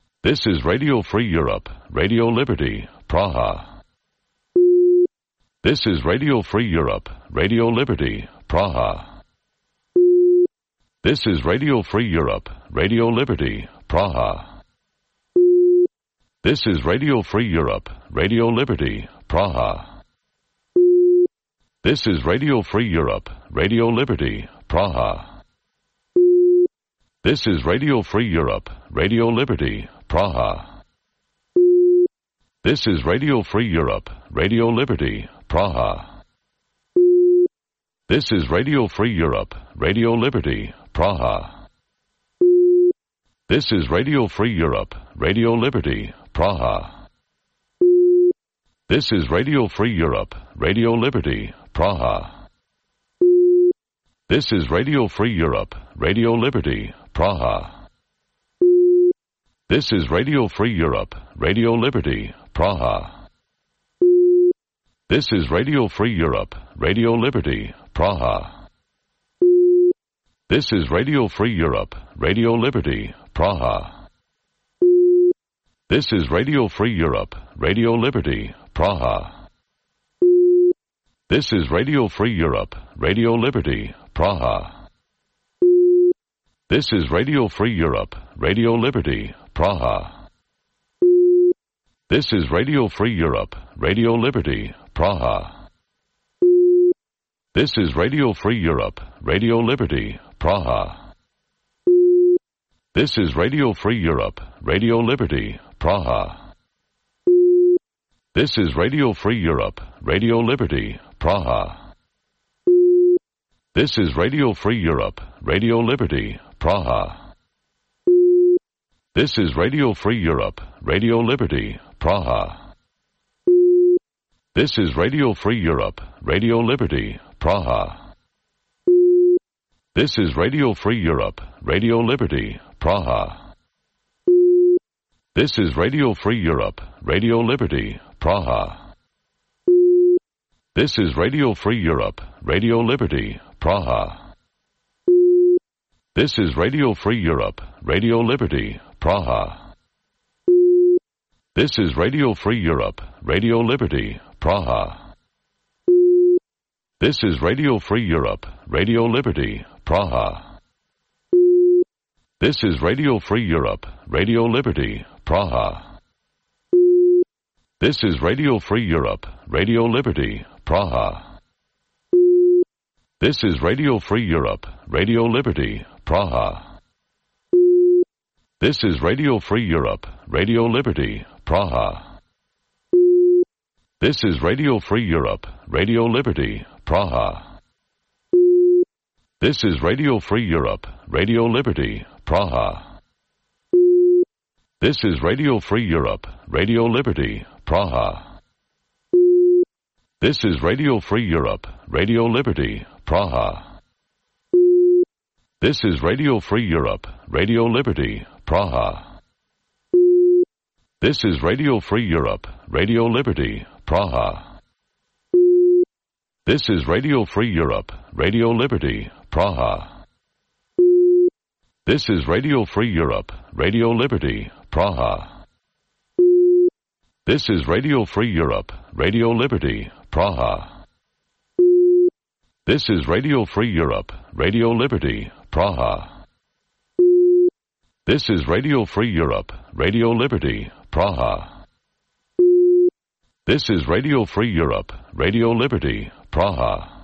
This is Radio Free Europe, Radio Liberty, Praha. This is Radio Free Europe, Radio Liberty, Praha. This is Radio Free Europe, Radio Liberty, Praha. This is Radio Free Europe, Radio Liberty, Praha. This is Radio Free Europe, Radio Liberty, Praha. This is Radio Free Europe, Radio Liberty, Praha. This is Radio Free Europe, Radio Liberty, Praha. This is Radio Free Europe, Radio Liberty, Praha. This is Radio Free Europe, Radio Liberty, Praha. This is Radio Free Europe, Radio Liberty, Praha. This is Radio Free Europe, Radio Liberty, Praha. This is Radio Free Europe, Radio Liberty, Praha. This is Radio Free Europe, Radio Liberty, Praha. This is Radio Free Europe, Radio Liberty, Praha. This is Radio Free Europe, Radio Liberty, Praha. This is Radio Free Europe, Radio Liberty, Praha. This is Radio Free Europe, Radio Liberty, Praha. This is Radio Free Europe, Radio Liberty, Praha. This is Radio Free Europe, Radio Liberty, Praha. This is Radio Free Europe, Radio Liberty, Praha. This is Radio Free Europe, Radio Liberty, Praha. This is Radio Free Europe, Radio Liberty, Praha. This is Radio Free Europe, Radio Liberty, Praha. This is Radio Free Europe, Radio Liberty, Praha. This is Radio Free Europe, Radio Liberty, Praha. This is Radio Free Europe, Radio Liberty, Praha. This is Radio Free Europe, Radio Liberty, Praha. This is Radio Free Europe, Radio Liberty, Praha. This is Radio Free Europe, Radio Liberty, Praha. This is Radio Free Europe, Radio Liberty, Praha. This is Radio Free Europe, Radio Liberty, Praha. This is Radio Free Europe, Radio Liberty, Praha. This is Radio Free Europe, Radio Liberty, Praha. This is Radio Free Europe, Radio Liberty, Praha. This is Radio Free Europe, Radio Liberty, Praha. This is Radio Free Europe, Radio Liberty, Praha. This is Radio Free Europe, Radio Liberty, Praha. This is Radio Free Europe, Radio Liberty, Praha. This is Radio Free Europe, Radio Liberty, Praha. This is Radio Free Europe, Radio Liberty, Praha. This is Radio Free Europe, Radio Liberty, Praha. This is Radio Free Europe, Radio Liberty, Praha. This is Radio Free Europe, Radio Liberty, Praha. This is Radio Free Europe, Radio Liberty, Praha. This is Radio Free Europe, Radio Liberty, Praha. This is Radio Free Europe, Radio Liberty, Praha.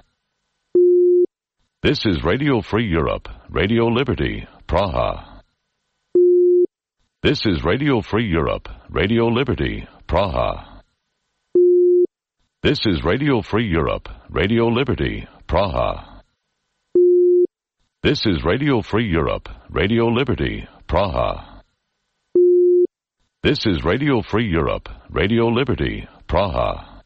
This is Radio Free Europe, Radio Liberty, Praha. This is Radio Free Europe, Radio Liberty, Praha. This is Radio Free Europe, Radio Liberty, Praha. This is Radio Free Europe, Radio Liberty, Praha. This is Radio Free Europe, Radio Liberty, Praha.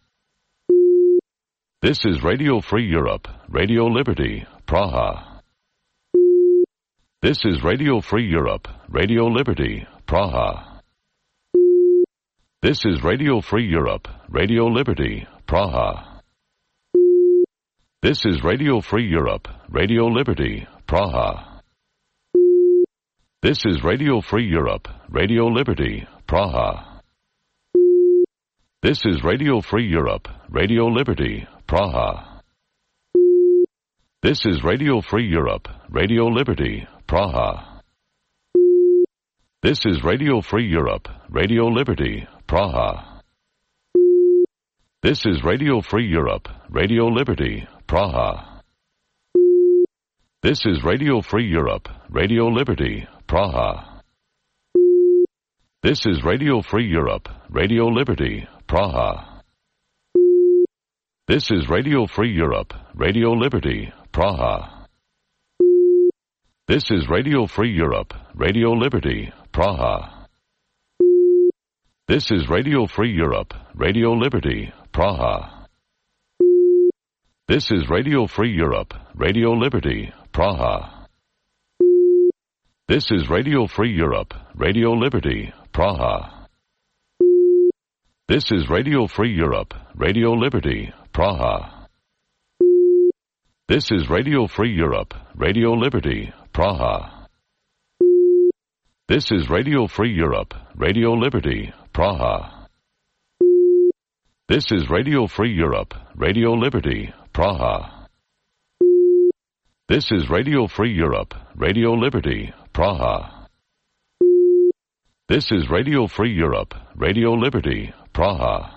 This is Radio Free Europe, Radio Liberty, Praha. This is Radio Free Europe, Radio Liberty, Praha. This is Radio Free Europe, Radio Liberty, Praha. This is Radio Free Europe, Radio Liberty, Praha. This is Radio Free Europe, Radio Liberty, Praha. This is Radio Free Europe, Radio Liberty, Praha. This is Radio Free Europe, Radio Liberty, Praha. This is Radio Free Europe, Radio Liberty, Praha. This is Radio Free Europe, Radio Liberty, Praha. This is Radio Free Europe, Radio Liberty, Praha. This is Radio Free Europe, Radio Liberty, Praha. This is Radio Free Europe, Radio Liberty, Praha. This is Radio Free Europe, Radio Liberty, Praha. This is Radio Free Europe, Radio Liberty, Praha. This is Radio Free Europe, Radio Liberty, Praha. This is Radio Free Europe, Radio Liberty, Praha. This is Radio Free Europe, Radio Liberty, Praha. This is Radio Free Europe, Radio Liberty, Praha. This is Radio Free Europe, Radio Liberty, Praha. This is Radio Free Europe, Radio Liberty, Praha. This is Radio Free Europe, Radio Liberty, Praha. This is Radio Free Europe, Radio Liberty, Praha.